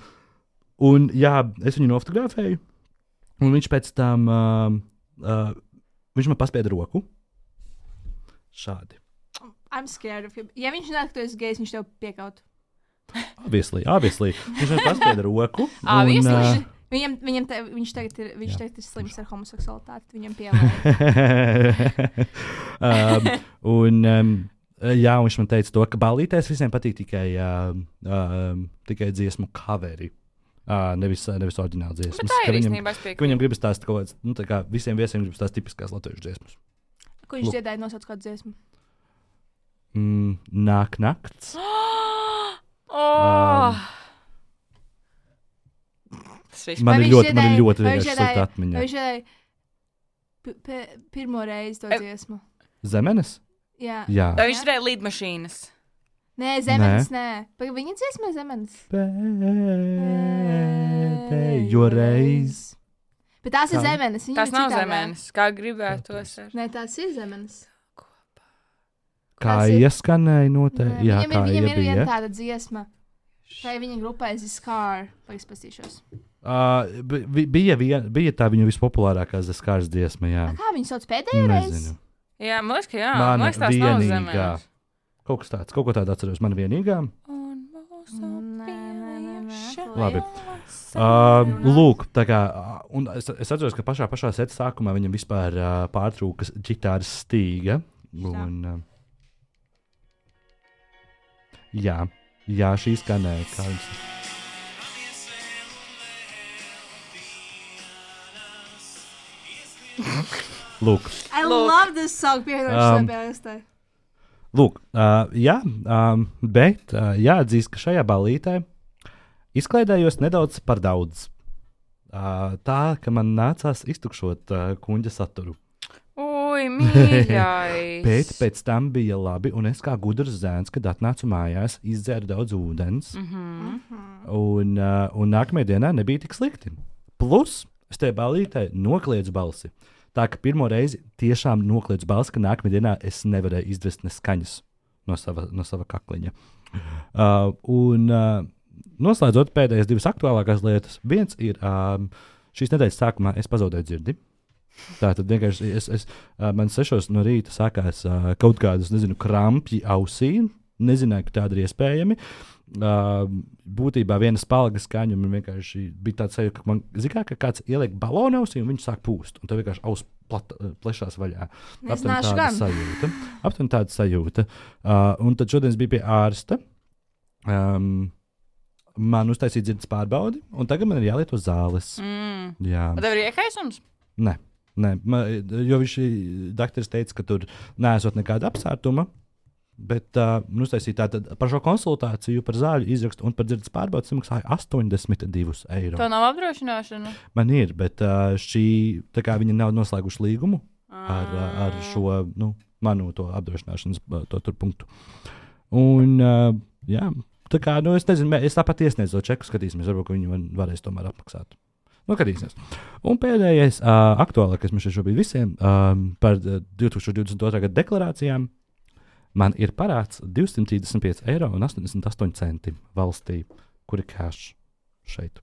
un jā, es viņu nofotografēju, un viņš pēc tam, um, uh, viņš man paspieda roku. Šādi. I'm scared of him. Ja viņš nāk, ka tu esi gejs, viņš tev piekaut. Obviously, obviously. Viņš man paspieda roku. Obviously. un, Viņš, viņam, viņam te, viņš tagad ir, viņš tagad ir slims ar homoseksualitāti. Viņam pielāgo. um, un, um, jā, un viņš man teica, to, ka ballītēs visiem patīk tikai, uh, uh, tikai dziesmu coveri. Uh, nevis, nevis oriģināla dziesmas. Bet tā Ka ir viņam, īstenībā. es ka piekrītu. viņam gribas tās kaut kādas, nu, tā kā visiem viesiem gribas tās tipiskās latviešu dziesmas. Ko viņš Lūk. dziedāja, nosauc kādu dziesmu? Mm, nāk nakts. Oh! Tas viss Man Vai ir viņš ļoti, man ir dziedāja- ļoti vai viņš vienkārši dziedāja- slikta Vai atmiņa. viņš dziedāja pi- pi- pirmo reizi to Em. dziesmu? Zemenes? Jā. Jā. Vai viņš turēja līdmašīnas? Nē, zemenes, nē. nē. Viņa dziesmē zemenes. Pēdējo reizi. Bet tās ir Kā? zemenes. Tas nav zemenes, kā gribētos. Ar... Nē, tās ir zemenes. Kā Tas ir- ieskanēja noteikti. Jā, Viņam, kā ir, viņam ir viena iebija. tāda dziesma. Tā ir viņa grupā, es Scar. Pagaidzi pastīšos. Uh, bi- bija, vien, bija tā viņa vispopulārākā Zaskārs dziesma, jā. Kā viņu sauc pēdējo reizi? Nezinu. Jā, man liekas, ka jā. Mana Man liekas, tās nav vienīgā. zemenes. Kaut kas tāds, kaut ko tādu atceros. Man vienīgā. Un mūsu Nē, nē, nē, nē. Labi. Uh, lūk, tā kā, uh, un es, es atceros, ka pašā, pašā seta sākumā viņam vispār uh, pārtrūka ģitāras stīga. Un, uh, jā, jā, šī skanēja. Kā viņš... Lūk. I Lūk. love this song. Pievienošu Um, um, playlistē. Lūk, uh, jā, um, bet uh, jāatzīst, ka šajā balītē izklaidējos nedaudz par daudz. Uh, tā, ka man nācās iztukšot uh, kuģa saturu. Ui, mīļais. Bet pēc tam bija labi, un es kā gudrs zēns, kad atnācu mājās, izdzēru daudz ūdens. Mm -hmm. Un, uh, un nākamajā dienā nebija tik slikti. Plus, es tajā balītē nokliedzu balsi. Tā ka pirmo reizi tiešām nokliedzu balsi, ka nākamajā dienā es nevarēju izdvest ne skaņas no sava, no sava kakliņa. Uh, un uh, noslēdzot pēdējās divas aktuālākās lietas, viens ir um, šīs nedēļas sākumā es pazaudēju dzirdi. Tā tad vienkārši es, es, uh, man sešos no rīta sākās uh, kaut kādas, nezinu, krampji ausī. Nezināju, ka tāda ir iespējama. Uh, būtībā viena spalga skaņa man vienkārši bija tāds sajūta, ka man zināmā, ka kāds ieliek balonu ausī un viņš sāk pūst. Un tā vienkārši aus plat, plešās vaļā. Nezināšu tāda gan. sajūta. Aptuveni tāda sajūta. Uh, un tad šodien es biju pie ārsta. Um, man uztaisīja dzirdes pārbaudi, un tagad man ir jālieto zāles. Mm. Jā. Vai tev ir iekaisums? Nē, nē man, jo viņš dakteris teica, ka tur neesot nekāda apsārtuma. Bet uh, nu, uztaisīja tātad par šo konsultāciju, par zāļu izrakstu un par dzirdes pārbaudi samaksāja astoņdesmit divus eiro. Tev nav apdrošināšana? Man ir, bet uh, šī, tā kā viņi nav noslēguši līgumu ar, uh, ar šo nu, manu to apdrošināšanas uh, to tur punktu. Un, uh, jā, tā kā, nu, es nezinu, mē- es tāpat iesniedzu to čeku, skatīsimies, varbūt ka viņi man varēs tomēr apmaksāt. Nu, skatīsimies. Un pēdējais uh, aktuālākais mums šobrīd visiem um, par uh, divtūkstoš divdesmit otrā gada deklarācijām. Man ir parāds divsimt trīsdesmit pieci eiro un astoņdesmit astoņi centi valstī, kur ir cash šeit.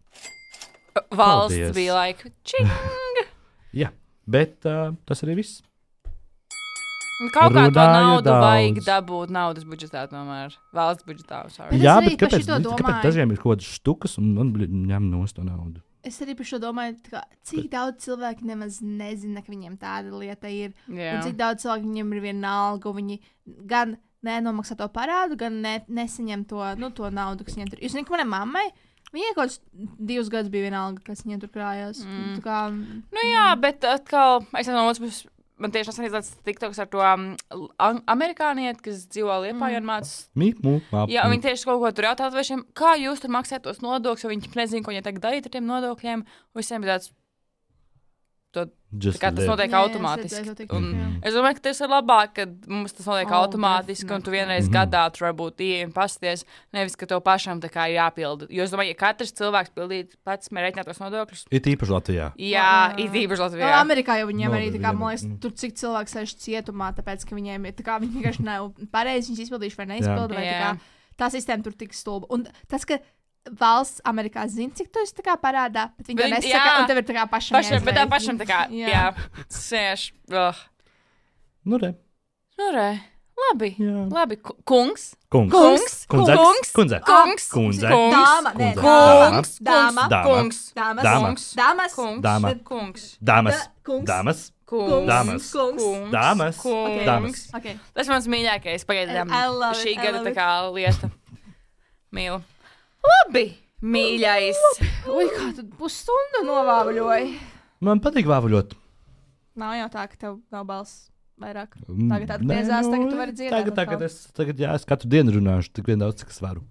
Valsts Paldies. bija laika. Čing! Jā, bet uh, tas arī viss. Kaut kā to Runāju naudu daudz. vajag dabūt naudas budžetā tomēr. Valsts budžetā. Sorry. Bet es Jā, arī bet par kāpēc, šito kāpēc domāju. dažiem ir kaut kādas štukas un man bļi, ņem nost to naudu? Es arī par šo domāju, tā kā, cik daudz cilvēku nemaz nezina, ka viņiem tāda lieta ir. Jā. Un cik daudz cilvēku viņiem ir viena alga, un viņi gan nenomaksā to parādu, gan ne, nesaņem to, nu, to naudu, kas viņiem tur ir. Jūs zināt, ka manai mammai, viņai kaut kāds divus gadus bija viena alga, kas viņiem tur krājās. Mm. Tā kā, Nu jā, bet atkal, es no otras puses, man tieši nesen izlaists TikToks ar to um, am- amerikānieti, kas dzīvo Liepājā un mācās. Mīt, mūp, map. Jā, un viņi tieši kaut ko tur jautā latviešiem, kā jūs tur maksājat tos nodokļus, jo viņi nezina, ko viņi tagad darīt ar tiem nodokļiem. Un visiem bija tāds, to, Just kā tas live. notiek Jā, jā, es automātiski. redzēju to TikTok, Un jā. es domāju, ka tas ir labāk, ka mums tas notiek Oh, automātiski, un tu vienreiz Mhm. gadā tur varbūt ieejam pasties, nevis, ka tev pašam tā kā ir jāpilda. Jo es domāju, ja katrs cilvēks pildītu pats mērķināt tos nodokļus, Ir īpaši Latvijā. jā, Jā. ir īpaši Nu, Latvijā. Amerikā jau viņiem No, arī, tā kā, vienam, man liekas, mm. tur cik cilvēks sēž cietumā, tāpēc, ka viņiem ir, tā kā, viņi vienkārši nav pareizi, viņus izpildījuši vai neizpilda, vai tā kā, Jā. tā sistēma tur tik stulba. Un tas, ka valsts Amerikā zina, cik tu esi tā kā parādā, bet viņi to Bet viņi- nesaka, jā. un tev ir tā kā pašam Pašam, bet tā jāizveic. pašam tā kā, Jā. jā, sēž. Ugh. Nu, re. Nu, re, labi, Jā. labi, ku- kungs, Kungs. kungs, Kundze. kungs, Kundze. kungs, Kundze. kungs, Dāma, nē, Kundze. kungs, Dāma. Dāma. kungs, Dāmas, Dāma. kungs, dāmas, kungs, Dāma. kungs, Dāmas. Da- kungs. Dāmas. kungs, Dāmas. kungs. kungs, Dāmas. kungs. Dāmas. Okay. Tas mans mīļākais pagaidām. I love it, Šī I gada love tā it. kā lieta. Mīlu. Labi, mīļais. Ui, kā tu pusstundu novāvuļoji. Man patīk vāvuļot. Nav jau tā, ka tev nav balss vairāk. Mm, Tagad atgriezās, tagad tu vari dziedāt Tagad, atkal. tagad es, tagad, jā, es katru dienu runāšu tik vien daudz, cik es varu.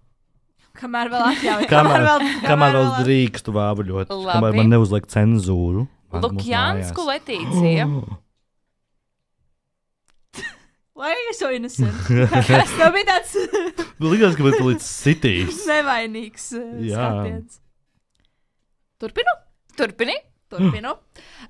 Kamēr vēl atļauj. Kamēr, kamēr vēl drīkstu vāvuļot. Labi. Kamēr man neuzliek cenzūru. man- mūsu Lukjansku mājās. Letīcija. Why are you so innocent? Tas tev bija tāds Likās, ka būtu līdz sitīs. nevainīgs uh, Jā. skatiens. Turpinu? Turpini? Turpinu.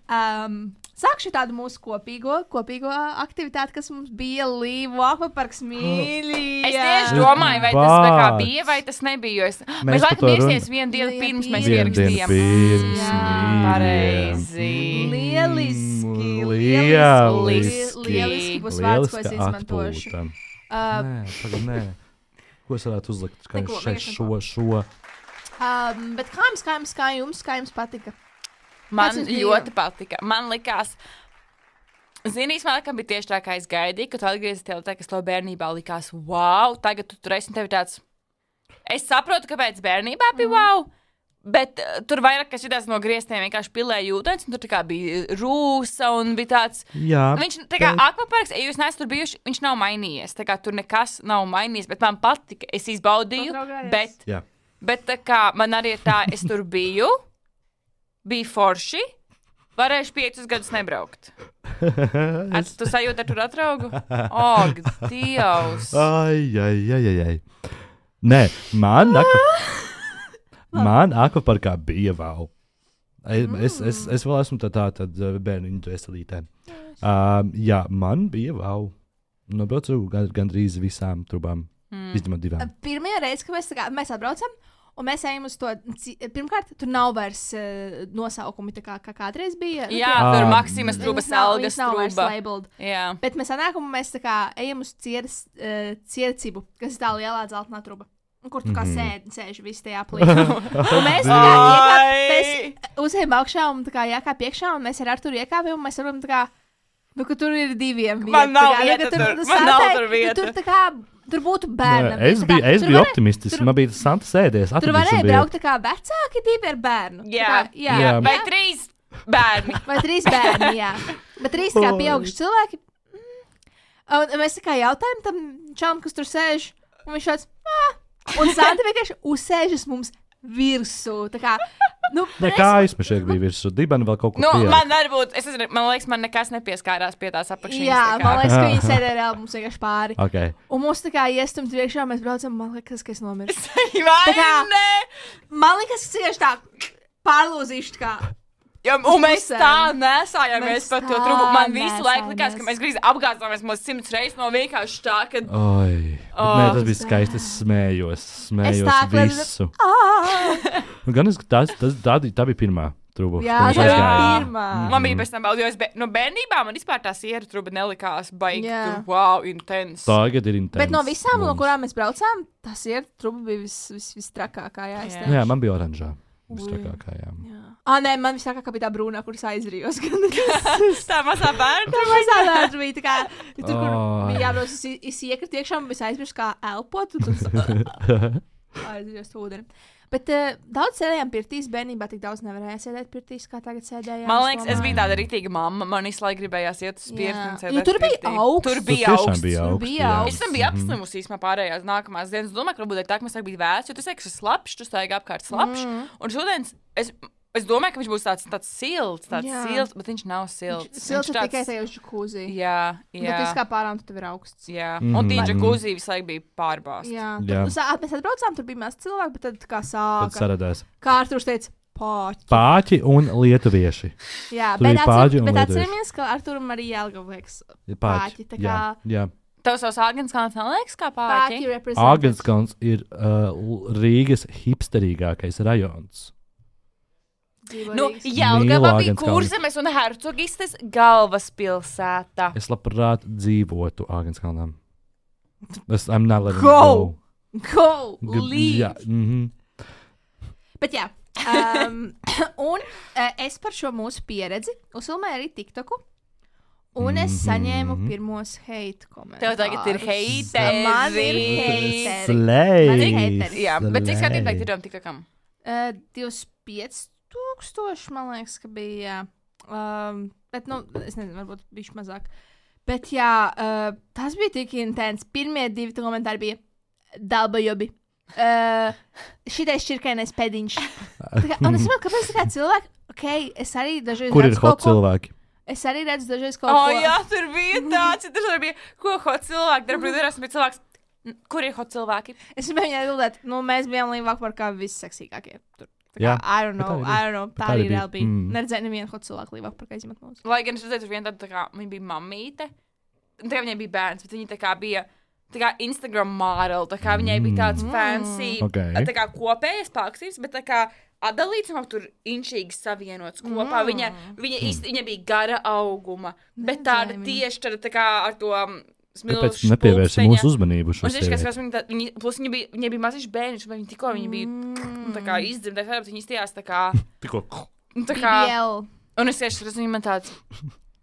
Um, sākšu tādu mūsu kopīgo, kopīgo aktivitāti, kas mums bija Līvu akvaparks mīļi. Es tieši domāju, vai tas tā kā bija, vai tas nebija. Jo es... Mēs, mēs par laikam to ierakstījām run- vienu dienu Jā, pirms jā, mēs pirms. ierakstījām. Pirms, Jā. mīļie. Pareizi. Lieliski. Lieliski. Lieliski būs vārds, ko es Lieliska izmantošu. atpūta. Uh, Nē, tagad nē. Ko es varētu uzlikt? Kā Neko, šeit vienkārši šo, šo. um, bet kā jums, kā jums, kā jums, kā jums patika? Man Kas jums bija? ļoti patika. Man likās, zinīs, man likam bija tieši tā, kā es gaidīju, ka tu atgriezies tev tā, kas tev bērnībā likās, wow, tagad tu tur esi un tev ir tāds. Es saprotu, kāpēc bērnībā bija Mhm. wow, bet uh, tur vairāk, kas jutās no griestiem, vienkārši pilēja ūdens, un tur tā kā bija rūsa un bija tāds. Jā. Viņš, tā kā bet- akvaparks, ja jūs neesat tur bijuši, viņš nav mainījies. Tā kā tur nekas nav mainījies, bet man patika, es izbaudīju, Patraugājies. bet, Jā. bet tā kā man arī ir tā, es tur biju, bija forši, varēšu piecus gadus nebraukt. Ar tu sajūti, ar tur atraugu? Og, Dievs! Ai, ai, ai, ai, ai. Nē, man, akva... man akvaparkā bija wow. Es, es, es, es vēl esmu tā tā, tad uh, bērniņu dvēselītē. Um, jā, man bija wow. Nobraucu gan, gandrīz visām trubām, mm. izņemot divām. Pirmā reize, kad mēs, tā kā, mēs atbraucam, un mēs ejam uz to, ci- pirmkārt, tur nav vairs uh, nosaukumi, tā kā, kā kādreiz bija. Jā, Ah, tur Maksimas Viņas trūba, nav- Selgas viņas nav vairs trūba. labeled. Jā. Bet mēs sanākam, un mēs tā kā ejam uz cieras, uh, ciercibu, kas ir tā lielā dzeltenā truba. Un kur tu kā Mhm. sēdi, sēž visi tajā plīnā. Un mēs tā kā iekāp, Ai! mēs uzējām augšā un tā kā jākāp iekšā, un mēs ar Arturu iekāpjam, un mēs varam tā kā, nu, ka tur ir diviem. Man vieta, nav tā kā, nu, vieta ka tur, nu, man nav sātai- tur nu, vieta. Tur tā kā, tur būtu bērnam. Nē, es tā kā, biju, es tur biju varē- optimistisks. tur- Man bija tas Santa sēdies. Tur atradīsim varēja vietu. braukt tā kā vecāki divi ar bērnu. Tā Jā, kā, jā, jā. Vai trīs bērni? Vai trīs bērni, jā. Bet trīs tā kā pieauguši cilvēki. Mm. Un mēs tā kā jautājam tam čalam, kas tur sēž, un viņš tāds, ah! Un Santa vienkārši uzsēžas mums virsū. Tā kā, nu, Nē, kā aizmešēk bija virsū. Dibana vēl kaut ko Nu, pieauga. man varbūt, es nezinu, man liekas, man nekas nepieskārās pie tās apakšņas. Jā, tā kā. man liekas, ka viņi sēdēja reāli mums vienkārši pāri. Okay. Un mums tā kā iestumt priekšā, mēs braucam, man liekas, ka es nomirstu. Vai Tā kā- ne? Man liekas, ka tieši tā pārlūzīšu tā kā. Ja, un mēs pusēm. tā nesājāmies Mēs par to tā trubu. Man visu laiku likās, nesājāmies. ka mēs grīz apgāzāmies mums simts reizes no vienkārši tā, ka. Oi, Oh, nē, tas bija skaisti. Es smējos, smējos tā, ka- visu. Ah! Nu, gan es, tas, tas, tā, tā bija pirmā truba. Jā, ko mēs tā bija aizgājām. pirmā. Man bija pēc tam baudījis, bet no bērnībā man vispār tā sieru truba nelikās baigi. Jā. Tur, wow, intens. Tagad ir intensīvi. Bet no visām, no kurām mēs braucām, tas ir truba bija vis, vis, vistrakākā. Jā, es Jā. teikšu. Jā, man bija oranžā. Ui. Vistakākā, jā. Jā. Ah, nē, man viss tā kā bija tā brūnā, kuras aizrījos. Tā mazā bērna. Tā mazā vērts bija tā kā, tur, kur Oh. bija jābrauc, es, es iekratu iekšā un es aizmirsu kā elpot, un tad aizrijos ūdeni. Bet uh, daudz sēdējām pirtīs, bērnībā tik daudz nevarēja sēdēt pirtīs, kā tagad sēdējām. Man liekas, es domāju. biju tāda rītīga mamma. Man visu laiku gribējās iet uz spirti Jā. un Jo sēdēt. tur bija pirtī. augsts. Tur Tur bija tiešām augsts. bija Tur augsts. bija jā. augsts. Es tam biju apslimusi īstenībā pārējās nākamās dienas. Es domāju, ka varbūt tā, ka mēs biju vēsts, jo tas ir slapjš, tu staigā apkārt slapjš. Mm. Un šodien es, es domāju, ka viņš būs tāds, tāds silts, tāds Jā. silts, bet viņš nav silts. Silts ir Viņš tikai tajos džakūzī. Jā, Bet jā. tas kā pārām, tu tev ir augsts. Jā, Mhm. un tīģa Mhm. kūzī visu laiku bija pārbāzta. Jā, Jā. tur, sā, mēs atbraucām, tur bija maz cilvēku, bet tad kā Tad sāka. saradās Kā Arturs teica, pāķi. pāķi un lietuvieši. Jā, Tur bet, bija pāķi un atcer, bet lietuvieši. atceramies, ka Arturam arī Jelgava liekas Ja Pāķi, tā jā, kā- jā. Tev savs Āgenskāns neliekas kā pāķi pāķi? reprezentants. Āgenskons ir uh, Rīgas hipsterīgākais rajons. Dzīvo Nu, Rīgas. Jelgava Mīlu bija Āgenskalni. Kurzemes un Hercogistes galvaspilsēta. Es labprāt dzīvotu Āgenskalnām. Es I'm not letting Go! go. Go! G- Leave! Jā, mhm. Bet jā, um, un uh, es par šo mūsu pieredzi uzfilmēju arī TikToku. Un es Mhm. saņēmu pirmos hate komentārus. Tev tagad ir heiteri. Man ir heiteri. Slēj! Man ir heiteri. Jā, bet cik skatītāji Slēj. ir tam TikTokam? Uh, divdesmit pieci tūkstoši, man liekas, ka bija. Um, bet, nu, es nezinu, varbūt bišķi mazāk. Bet, jā, uh, tas bija tik intens. Pirmie divi komentāri bija dalbajobi. Uh, šitais čirkainais pēdiņš. Tā kā- Un es saprotu, kāpēc tā kā cilvēki, ok, es arī dažreiz Kur ir redzu hot kaut ko- cilvēki? Es arī redzu dažreiz kaut oh, ko. Jā, tur bija tāds, tur bija, ko hot cilvēki dara, bet es biju cilvēks, kur ir hot cilvēki? Es gribēju viņai atbildēt, nu, mēs bijām Līvāk par kā visseksīgākie. Tur. Tā kā, Jā, I don't know, bet tā arī I don't know, tā tā arī arī reāli bija. bija. Mm. Neredzēju nevienu hot cilvēku Līvāk par kā izmet mūsu. Lai gan es redzēju, tur viena tāda, tā kā, viņa bija mammīte, un tā kā viņai bija bērns, bet viņa tā kā bija, tā kā Instagram model, tā kā viņai bija tāds Mm. fancy, Okay. tā kā kopējas paksības, bet tā kā atdalīts un tur inšīgi savienots kopā. Mm. Viņa, viņa, īsti, viņa bija gara auguma, bet Neredzēju tāda viņu. tieši tāda tā kā ar to Tāpēc smilšu nepievērsim mūsu uzmanību Un šo es vienkārši sievieti. skatos, viņa, tā- viņa, plus viņa bija, viņa bija maziņš bērniņš, bet viņa tikko viņa bija Mm. tā kā izdzimta, bet viņa izstījās tā kā, Tikko. tā kā, B B L. un es tieši redzu, viņa man tāds,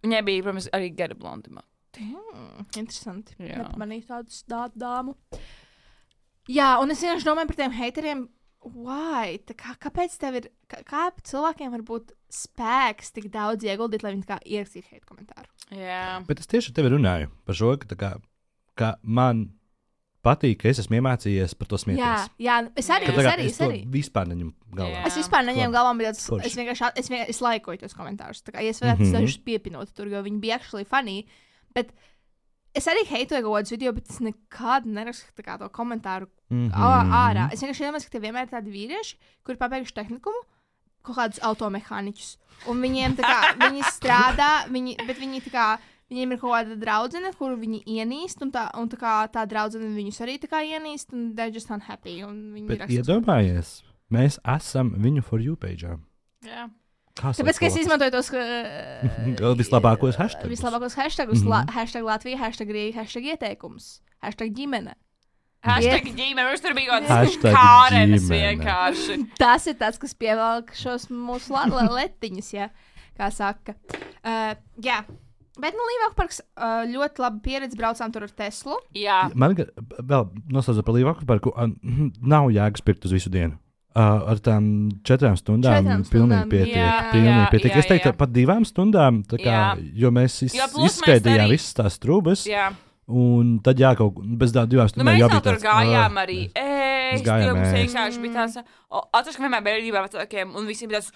viņai bija, protams, arī gara blondima. Mm, interesanti. Jā. Nepamanīju tādu dā- dāmu. Jā, un es vienkārši domāju par tiem hateriem. Why? Tā Kā, kāpēc tev ir, kā, kā cilvēkiem var būt spēks tik daudz ieguldīt, lai viņi tā kā ierakstītu hate komentāru? Jā. Bet es tieši ar tevi runāju par šo, ka, tā kā, ka man patīk, ka es esmu iemācījies par to Jā, smieties. jā, es arī, Jā. Ka, tā es kā arī, es es to arī. vispār neņemu galvā. Jā. Es vispār neņēmu Forši. galvā, bet es, Forši. es vienkārši at- es, vienkārši, es laikoju tos komentārus. Tā kā, ja es varētu Mhm. mm -hmm. dažus piepinot tur, jo viņi bija actually funny. Bet es arī heitoju kaut kādus video, bet es nekad nerakstu tā kā to komentāru Mhm. ā- ārā. Es vienkārši iedomājos, ka tie vienmēr ir tādi vīrieši, kuri pabeiguši tehnikumu, kaut kādus automehāniķus. Un viņiem tā kā, viņi strādā, viņi, bet viņi tā kā, viņiem ir kaut kāda draudzene, kuru viņi ienīst, un tā, un tā kā tā draudzene viņus arī tā kā ienīst, un they're just unhappy. Un viņi Bet raksta- iedomājies, mēs esam viņu for you page. Jā. Kā Tāpēc, ka es sauc to? izmantoju tos Vēl vislabākos hashtagus. Vislabākos hashtagus, Mhm. la, hashtag Latvija, hashtag Rīga, hashtag ieteikums, hashtag ģimene. Hashtag ģimene, mums tur bija kaut kāds Hashtag kārenes ģimene. vienkārši. Tas ir tas, kas pievelk šos mūsu la, la, letiņus, ja, kā saka. Uh, jā, bet nu Līvāk parks uh, ļoti labi pieredze, braucām tur ar Teslu. Jā. Man ga- vēl noslēdzot par Līvāku parku, uh, nav jēgas pirkt uz visu dienu. Uh, ar tām četrām stundām Četrām pilnīgi stundām, pietiek. jā, pilnīgi jā, pietiek. jā, Es teiktu, jā. pat divām stundām, tā kā, Jā. jo mēs iz, Jo plus mēs izskaidījām arī- visas tās trūkumus, Jā. un tad jā, kaut kā bez tām divām Nu, stundām mēs jau jau bija tur tāds, gājām "Ah, arī. Mēs Ēst, gājām jo mums ēst. vienkārši bija tāds, o, atceros, ka vienmēr bērnībā vecākiem, un visiem bija tāds,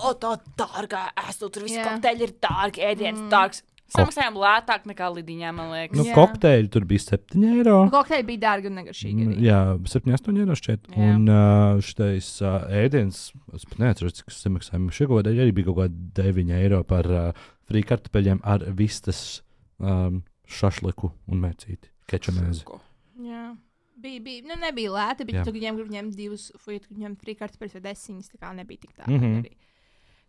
o, tā dārgā ēstu, tur visi Jā. kokteļi ir dārgi, ēdienas dārgs. Samaksājām lētāk nekā Lidiņā, man liekas. Nu, Jā. kokteļi tur bija septiņi eiro. Kokteļi bija dārgi un negaršīgi. Mm, Arī. Jā, septiņi, astoņi eiro šķiet. Jā. Un uh, šitais uh, ēdiens, es pat neatceros, cik es samaksāju. Šī kaut kāda arī bija kaut kāda deviņi eiro par uh, frī kartupeļiem ar vistas um, šašliku un mērcīti. Kečamēzi. Jā. Bija, bija, nu nebija lēti, bet Jā. tu viņiem grib ņemt divus, vai tu ņem frīkartupeļus vai desiņas, tā kā nebija tik tā. Mhm. Mm -hmm.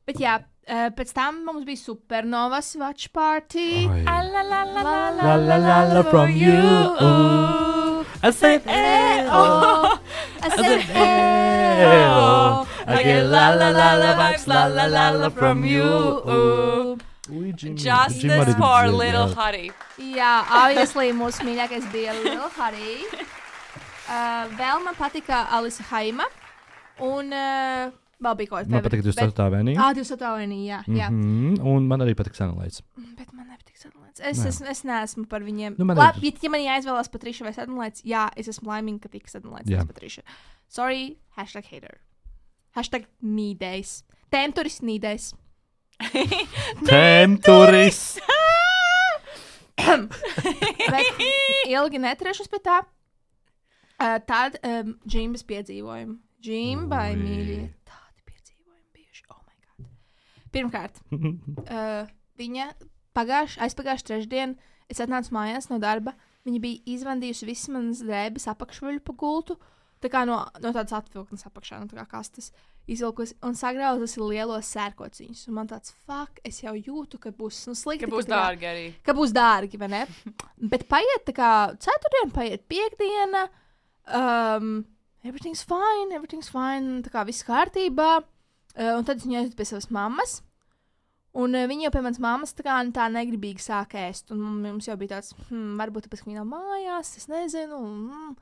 Bet jā, uh, pēc tam mums bija supernovas watch party. Ai. La la la la la La la la la from you. Oh. I said, Eh, eh, oh. I said, eh, oh. I get la la la la vibes, la la la la from you. oh. Ui, Jim- Jim Justice arī for dzied, Little jā. Harry. Jā, obviously mūsu mīļākais bija Lil Harry. Uh, vēl man patika Alisa Haima. Un uh, vēl bija kaut kas Man patīk, ka jūs esat tā vienīgi. Ah, jūs esat tā vienīgi, jā. jā. Mm -hmm. Un man arī patīk Sanlaits. Bet man nepatīk sadalīts. Es, Nē. es, es neesmu par viņiem. Nu, man Labi, ir- ja, ja man jāizvēlās Patriša vai sadalīts, jā, es esmu laimīga, ka tika sadalīts Jā. Patriša. Sorry, hashtag hater. Hashtag nīdējs. Tēmturis nīdējs. Temturis! Bet ilgi neturēšos pie tā. Uh, tad um, Džimbas piedzīvojumi. Džimbai, Ui. mīļie. Tādi piedzīvojumi bijuši. Oh my god. Pirmkārt, uh, viņa pagājuši, aizpagājuši trešdien, es atnācu mājās no darba. Viņa bija izvandījusi visas manas drēbes apakšveļu pa gultu. Tā kā no, no tādas atvilknes apakšā, no tā kā kastes izvilkusi un sagrauzusi lielos sērkociņus. Un man tāds, fuck, es jau jūtu, ka būs nu, slikti. Ka būs tā kā- dārgi arī. Ka būs dārgi, vai ne? Bet paiet tā kā ceturtdiena, paiet piekdiena. Um, everything's fine, everything's fine. Tā kā viss kārtībā. Uh, un tad es viņu aizvedu pie savas mammas. Un uh, viņa jau pie manas mammas tā kā tā negribīgi sāk ēst. Un mums jau bija tāds, hmm, varbūt tāpēc, ka viņa nav mājās, es nezinu. Mm.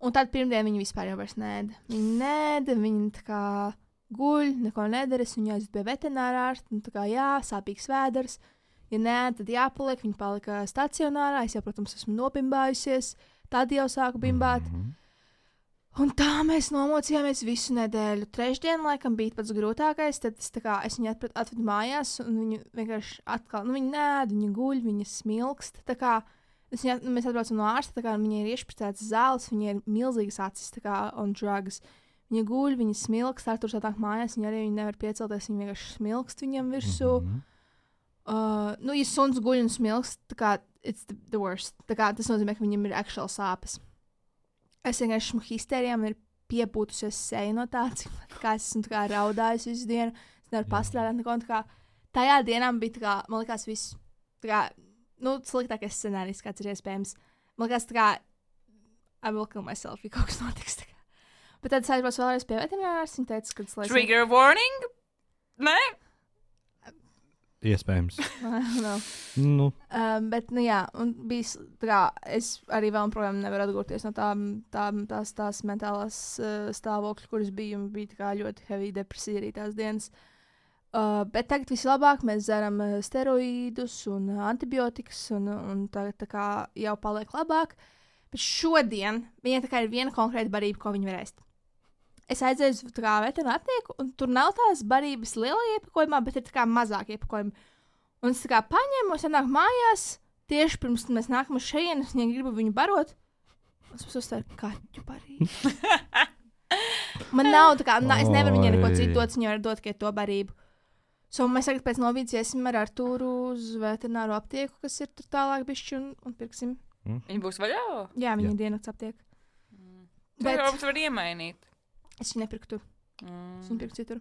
Un tad pirmdien viņa vispār jau vairs nēda. Viņa nēda, viņa tā kā guļ, neko nedara. Es viņu aizvedu pie veterinārā ārsta. Un tā kā jā, sāpīgs vēders. Ja nē, tad jāpaliek. Viņa palika stacionārā. Es jau, protams, esmu nobimbājusies. Tad jau sāku bimbāt. Mhm. Un tā mēs nomocījāmies visu nedēļu. Trešdien, laikam, bija pats grūtākais. Tad es, kā, es viņu atprat, atvedu mājās, un viņu vienkārši atkal, nu, viņa nēd, viņa guļ, viņa smilkst. Tā kā es viņu, mēs atbraucam no ārsta, tā kā viņai ir iešpricēts zāles, viņai ir milzīgas acis, tā kā on drugs. Viņa guļ, viņa smilkst, Arturs atnāk mājās, viņa arī viņa nevar piecelties, viņa vienkārši smilkst viņam virsū. Mm-hmm. Uh, nu, ja suns guļ un smilkst, tā kā it's the, the worst. Tā kā tas nozīmē, ka viņam ir actual sāpes. Es vienkārši esmu histērijā, man ir piepūtusies seja no tā, cik kā es esmu tā kā raudājusi visu dienu. Es nevaru pastrādāt neko. Tā kā tajā dienā bija tā kā, man likās viss, tā kā, nu, sliktākais scenārijs, kāds ir iespējams. Man likās tā kā, I will kill myself, ja kaut kas notiks. Tā kā. Bet tad es aizbraucu vēlreiz pie veterinārs, viņa teica, ka tas laikam... Trigger warning? Nē? Iespējams. no. nu. Um, bet, nu jā, un bija, tā kā, es arī vēl un projām nevaru atgūties no tām, tām tās, tās mentālās uh, stāvokļa, kuras bija, un bija tā kā ļoti heavy depresija arī tās dienas. Uh, bet tagad viss labāk, mēs dzeram uh, steroīdus un uh, antibiotikas, un, un tagad tā kā jau paliek labāk. Bet šodien viņai tā kā ir viena konkrēta barība, ko viņa var ēst. Es aizēju uz veterināru aptieku, un tur nav tās barības lielā iepakojumā, bet ir tā kā mazāk iepakojumi. Un es tā kā paņēmu, es nāku mājās, tieši pirms mēs nākam uz šejienu, es viņai gribu viņu barot. Es mums uzstāju kaķu barību. Man nav tā kā, nā, es nevaru viņai neko citu dot, viņa var dot tikai to barību. So mēs tagad pēc novīdes iesim ar Artūru uz veterināru aptieku, kas ir tur tālāk bišķi, un, un pirksim. Mm. Viņa būs vaļā? Jā, viņa ir dienas aptiek. Mm. Bet Bet... tu var iemainīt. Es viņu nepirku tur. Mm. Es viņu pirku citur.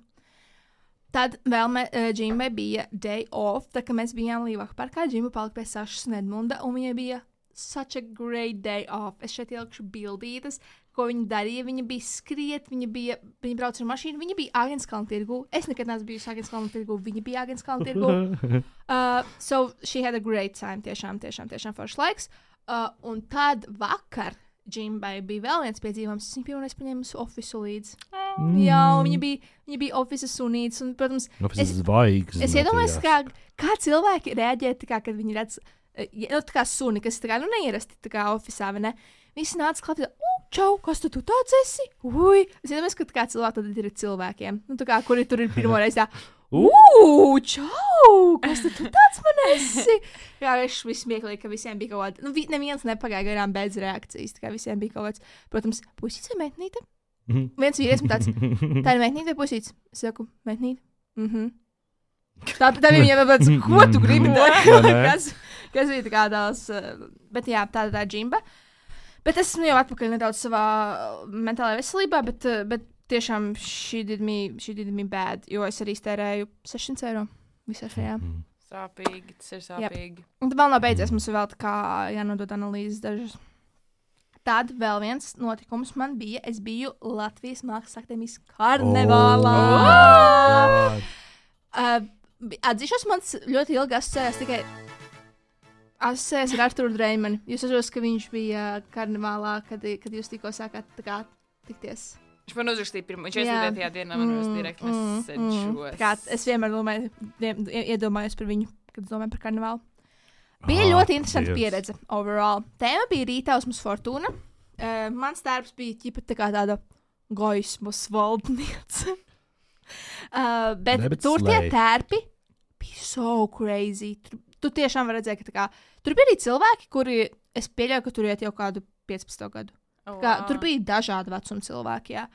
Tad vēl me, uh, Džimbai bija day off, tā kā mēs bijām Līvāku parkā. Džimba palika pie Sašas un Edmunda, un viņai bija such a great day off. Es šeit ielikšu bildītas, ko viņa darīja. Viņa bija skriet, viņa bija, viņa brauca ar mašīnu, viņa bija Āgenskalna tirgū. Es nekad neesmu bijusi Āgenskalna tirgū, viņa bija Āgenskalna tirgū. uh, so she had a great time, tiešām, tiešām, tiešām foršs laiks. Uh, un tad vakar Džimbai bija vēl viens piedzīvojums. Es viņu pirmoreiz paņēmu uz ofisu līdzi. Mm. Jā, viņa bija, viņa bija ofisa sunīts. Un, protams, Office es, zvaigznes, es iedomājos, kā, kā cilvēki reaģē, kā, kad viņi redz, nu, tā kā suni, kas tā kā, nu, neierasti tā kā ofisā, vai ne? Visi nāca klāt, u, čau, kas tu, tu tāds esi? Ui! Es iedomājos, ka tā kā cilvēki tad ir cilvēkiem. Nu, tā kā, kuri tur ir pirmoreiz tā, Ugh, čau! Kas tu tāds man esi? Jā, es viss smieklīgi, ka visiem bija kaut kāda. Nu, vi, neviens nepagāja garām bez reakcijas. Tā kā visiem bija kaut kāds, protams, puisīts vai meitnīte? Mm-hmm. Viens vīrietis man tāds, tā ir meitnīte vai puisīts? Es saku, meitnīte. Mhm. Tā, tā bija viņam tāds, ko tu gribi? kas, kas bija tā kā tās, bet jā, tā tā Džimba. Bet es esmu jau atpakaļ nedaudz savā mentālajā veselībā, bet, bet tiešām she did me, she did me bad, jo es arī stērēju sešsimt eiro visā šajā. Mm. Sāpīgi, tas ir sāpīgi. Yep. Un vēl nav beidzies, mums ir vēl tā kā jānodod analīzes dažas. Tad vēl viens notikums man bija, es biju Latvijas Mākslas akadēmijas karnevālā. Oh, uh, atzīšos, mans ļoti ilgi asociējās tikai asociējās ar Arturu Dreimani. Jūs atceros, ka viņš bija karnevālā, kad, kad jūs tikko sākāt tā kā tikties. Viņš man uzrakstīja pirmo, viņš aizsūtīja tajā dienā, man mm, direkt message. Mm, kā, es vienmēr domāju, iedomājos par viņu, kad es domāju par karnevālu. Bija ah, ļoti interesanta Dievs. Pieredze overall. Tēma bija Rītausmas Fortuna. Uh, mans darbs bija ķipa tā kā tāda gaismas valdniece. uh, bet, bet tur slay. Tie tērpi bija so crazy. Tur, tu tiešām var redzēt, ka tā kā, tur bija arī cilvēki, kuri, es pieļauju, ka tur iet jau kādu piecpadsmit gadu. Oh, kā, wow. Tur bija dažādi vecuma cilvēki, jā.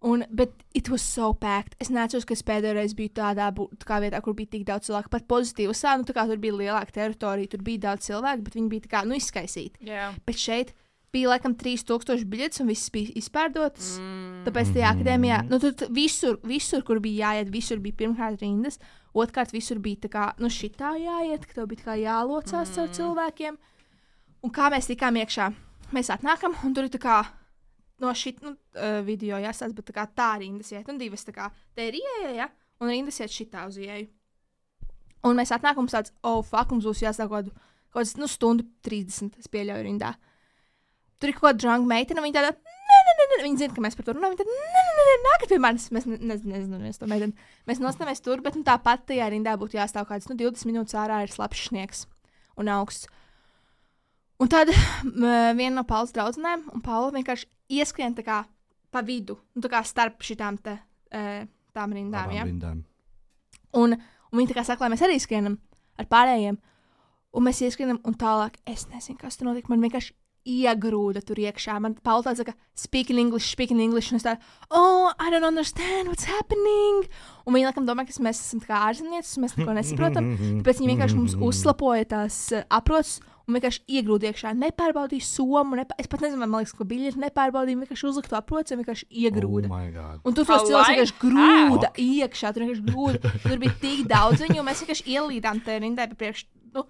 Un, bet it was so packed. Es neatceros, ka es pēdējo reizi biju tādā tā kā vietā, kur bija tik daudz cilvēku. Pat pozitīvi sā, nu tā kā tur bija lielāka teritorija, tur bija daudz cilvēku, bet viņi bija tā kā, nu, izskaisīti. Yeah. Bet šeit bija laikam trīs tūkstoši biļetes un viss bija izpārdotas. Mm. Tāpēc tajā akadēmijā, nu tur visur, visur, kur bija jāiet, visur bija pirmkārt rindas, otrkārt visur bija tā kā, nu šitā jāiet, ka tev bija tā kā jālocās mm. ar cilvēkiem. Un kā mēs tikām iekšā? Mēs atnākam, un tur ir tā kā no šit, nu, uh, video jāsāc, bet tā kā tā rindas iet, un divas tā kā, te ir ieeja, ja, un rindas iet šitā uz ieeju. Un mēs atnākam, mums tāds, oh, fuck, mums būs jāsāk kaut kāds, nu, stundu trīsdesmit, es pieļauju rindā. Tur ir kaut kāda drunk meitene, un viņa tāda, nē, nē, nē, nē, viņa zina, ka mēs par to runājam, viņa tāda, nē, nē, nē, nākat pie manis, mēs nezinu, mēs to meiteni. Mēs nostāmies tur, bet, nu, tāpat tajā rindā būtu jāstāv kāds, nu, divdesmit minūtes ārā ir slapjš sniegs un augsts. Un tad m, viena no Paulas draudzenēm, un Paula vienkārši ieskrien tā kā, pa vidu, nu, tā kā starp šitām te, uh, tām rindām, Abām ja? rindām. Un, un viņi tā kā saka, lai mēs arī skrienam ar pārējiem, un mēs ieskrienam, un tālāk, es nezinu, kas tur notika, man vienkārši iegrūda tur iekšā. Man Paula tāds saka, speak in English, speak in English, un es tā, oh, I don't understand what's happening. Un viņi laikam domā, ka mēs esam tā kā ārzemnieces, un mēs neko nesaprotam. Tāpēc viņi vienkārši mums uzslapoja tās uh, aproces un vienkārši iegrūda iekšā. Nepārbaudīja somu, nepār... es pat nezinu, man liekas, ko biļeti nepārbaudīja, vienkārši uzliktu aproci un vienkārši iegrūda. Oh un tur tos cilvēks vienkārši grūda iekšā, tur vienkārši grūda. Tur bija tik daudz viņu, un mēs vienkārši ielīdām te rindai pa priekš. Nu,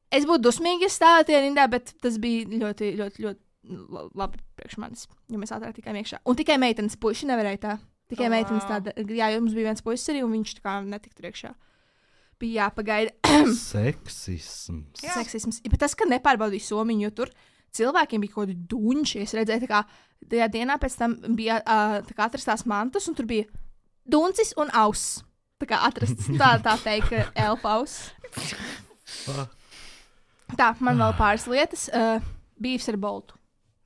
es būtu dusmīgi, ja stāvētu tajā rindā, bet tas bija ļoti, ļoti, ļoti labi priekš manis, jo mēs ātrāk tikām iekšā. Un tikai meitenes puiši nevarēja tā. Tikai oh, meitenes tāda, jā, jo mums bija viens puisis arī, un viņš tā kā netika tur iekšā. Bija jāpagaida. Seksisms. Jā. Seksisms. Bet tas, ka nepārbaudīja somiņu, jo tur cilvēkiem bija kaut kādi duņši. Es redzēju, tā kā tajā dienā pēc tam bija uh, tā kā atrastās mantas, un tur bija duncis un auss. Tā kā atrasts, tā, tā teikt, elpaus. Tā, man vēl pāris lietas. Uh, Bīvs ar boltu.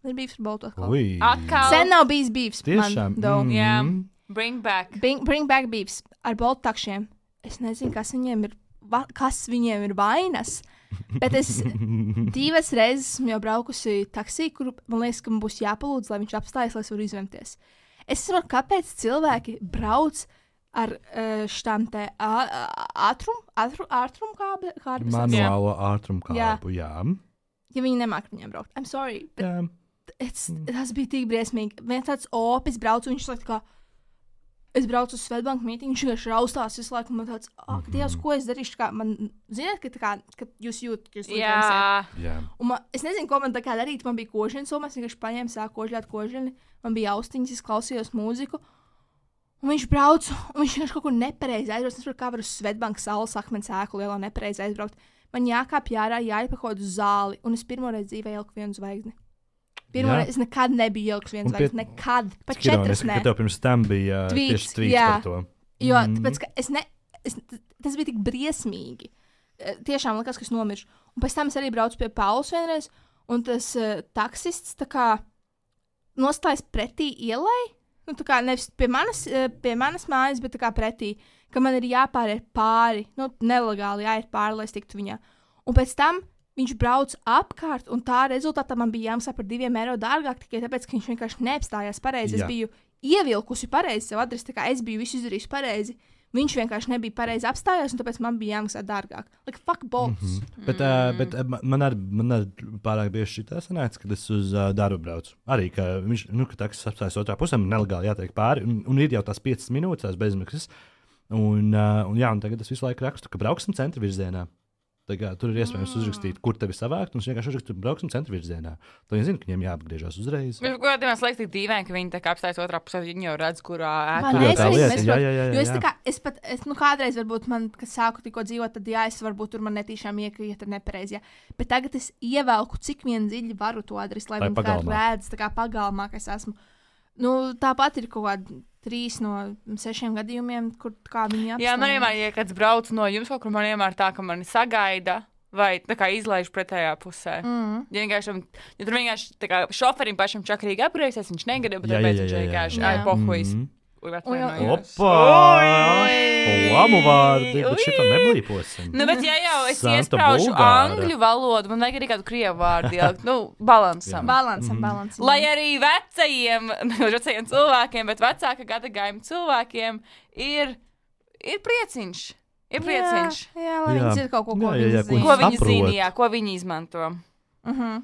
Ir bīvs ar boltu atkal. Ui. Atkal. Sen nav bijis bīvs. Tiešām. Man, Mm. Jā, bring back. bring, bring back bīvs ar boltu takšiem. Es nezinu, kas viņiem ir, va, kas viņiem ir vainas. Bet es divas reizes esmu jau braukusi taksī, kur man liekas, ka man būs jāpalūdz, lai viņš apstājas, lai es varu izvemties. Es saprotu, kāpēc cilvēki brauc ar uh, šitām te ātrumu ātrum, ātrum kārbas. Manuālo ātrumkābu, jā. Ja viņi nemāk viņiem braukt. I'm sorry, bet jā. it's, tas bija tik briesmīgi. Viens tāds opis brauc, un viņš saka, kā, es braucu uz Svetbanku mītīņu, viņš vienkārši raustās visu laiku, man tāds, ak, mm-hmm. Dievs, ko es darīšu, kā man, ziniet, ka tā kā, ka jūs jūt, ka jūs Jā. jā. Un man, es nezinu, ko man tā kā darīt, man bija kožienas, un es vienkārši paņēmu, sāku kožļāt kožļani, man bija austiņas, es klausījos mūziku, un viņš brauc, un viņš vienkārši kaut ko nepareizi aizbrauc, es saprotu, kā var uz Svetbanku salas akmens ēku lielā nepareizi aizbraukt. Man jākāpj ārā, jāiet pa kaut kādu zāli, un es pirmo reizi dzīvē ieliku vienu zvaigzni. Pirmo reizi es nekad nebiju ielikus vienu zvaigzni, nekad, pat četras ne. Tev pirms tam bija Tvīts, tieši tvīts jā. par to. Jo, Mm. tāpēc, ka es ne, es, tas bija tik briesmīgi. Eh, Tiešām likās, ka es nomiršu. Un pēc tam es arī braucu pie Paulas vienreiz, un tas uh, taksists tā kā nostājas pretī ielai, nu tā kā nevis pie manas, uh, pie manas mājas, bet tā kā pretī, ka man ir jāpāriet pāri, nu nelegāli jāiet pāri, lai es tiktu viņā. Un pēc tam viņš brauc apkārt, un tā rezultātā man bija jāmaksā par diviem eiro dārgāk, tikai tāpēc, ka viņš vienkārši neapstājās pareizi. Jā. Es biju ievilkusi pareizi sev adresi, tā kā es biju visu izdarījusi pareizi. Viņš vienkārši nebija pareizi apstājās, un tāpēc man bija jāmaksā dārgāk. Like, fuck bolts. Mm -hmm. Bet, uh, bet uh, man arī man ar pārāk bieži šī tā sanāca, kad es uz uh, darbu braucu. Arī, ka viņš, nu, ka taksis apstājas otrā pusē, man nelegāli jātiek pāri, un, un ir jau tās piecas minūtes, tās bezmaksas. Un, uh, un, jā, un tagad es visu laiku rakstu, ka brauksim centra virzienā. Kā, tur ir iespējams uzrakstīt, kur tevi savākt, un es vienkārši uzrakstu, brauksim centra virzienā. Tad viņi zina, ka viņiem jāapgriežas uzreiz. Bet, ko man liekas, tik dīvaini, ka viņi tā kā apstājas otrā pusē, viņi jau redz, kurā Man Tur jau es tā arī lieta, nesaprotu, jā, jā, jā, jo es jā. tā kā, es pat, es, nu kādreiz varbūt man, kad sāku tikko dzīvot, tad jā, es varbūt tur man netīšām iekrīt ar nepareizi, jā. Bet tagad es ievelku, cik vien dziļi varu to adresi, lai Lai viņi tā kā pagalmā. redz, tā kā pagalmā, ka es esmu. Nu, tāpat ir kaut kādi trīs no sešiem gadījumiem, kur kā viņi apstājas. Jā, man vienmēr, ja kāds brauc no jums kaut kur, man vienmēr tā, ka mani sagaida. Vai tā kā izlaiž pretējā pusē. Mm. Ja, vienkārši, ja tur vienkārši tā kā šoferim pašam čakarīgi apgriezies, viņš negadīja, bet Jā, tāpēc jā, viņš jā, jā. vienkārši Jā. ar pohuis. Mhm. Opa! Opa! Lamu vārdi, bet šito neblīposim. Nu, bet ja jau es Santa iespraužu Bulgāra. angļu valodu, man vajag arī kādu krievu vārdu ielikt. Nu, balansam. Balansam, balansam. Lai arī vecajiem, nevis vecajiem cilvēkiem, bet vecāka gadagājuma cilvēkiem ir, ir prieciņš. Ir prieciņš. Jā, jā, lai Jā. viņi zina kaut ko, ko Jā, jā, jā, viņi ko zina. Ko viņi saprot. zina, jā, ko viņi izmanto. Uh -huh.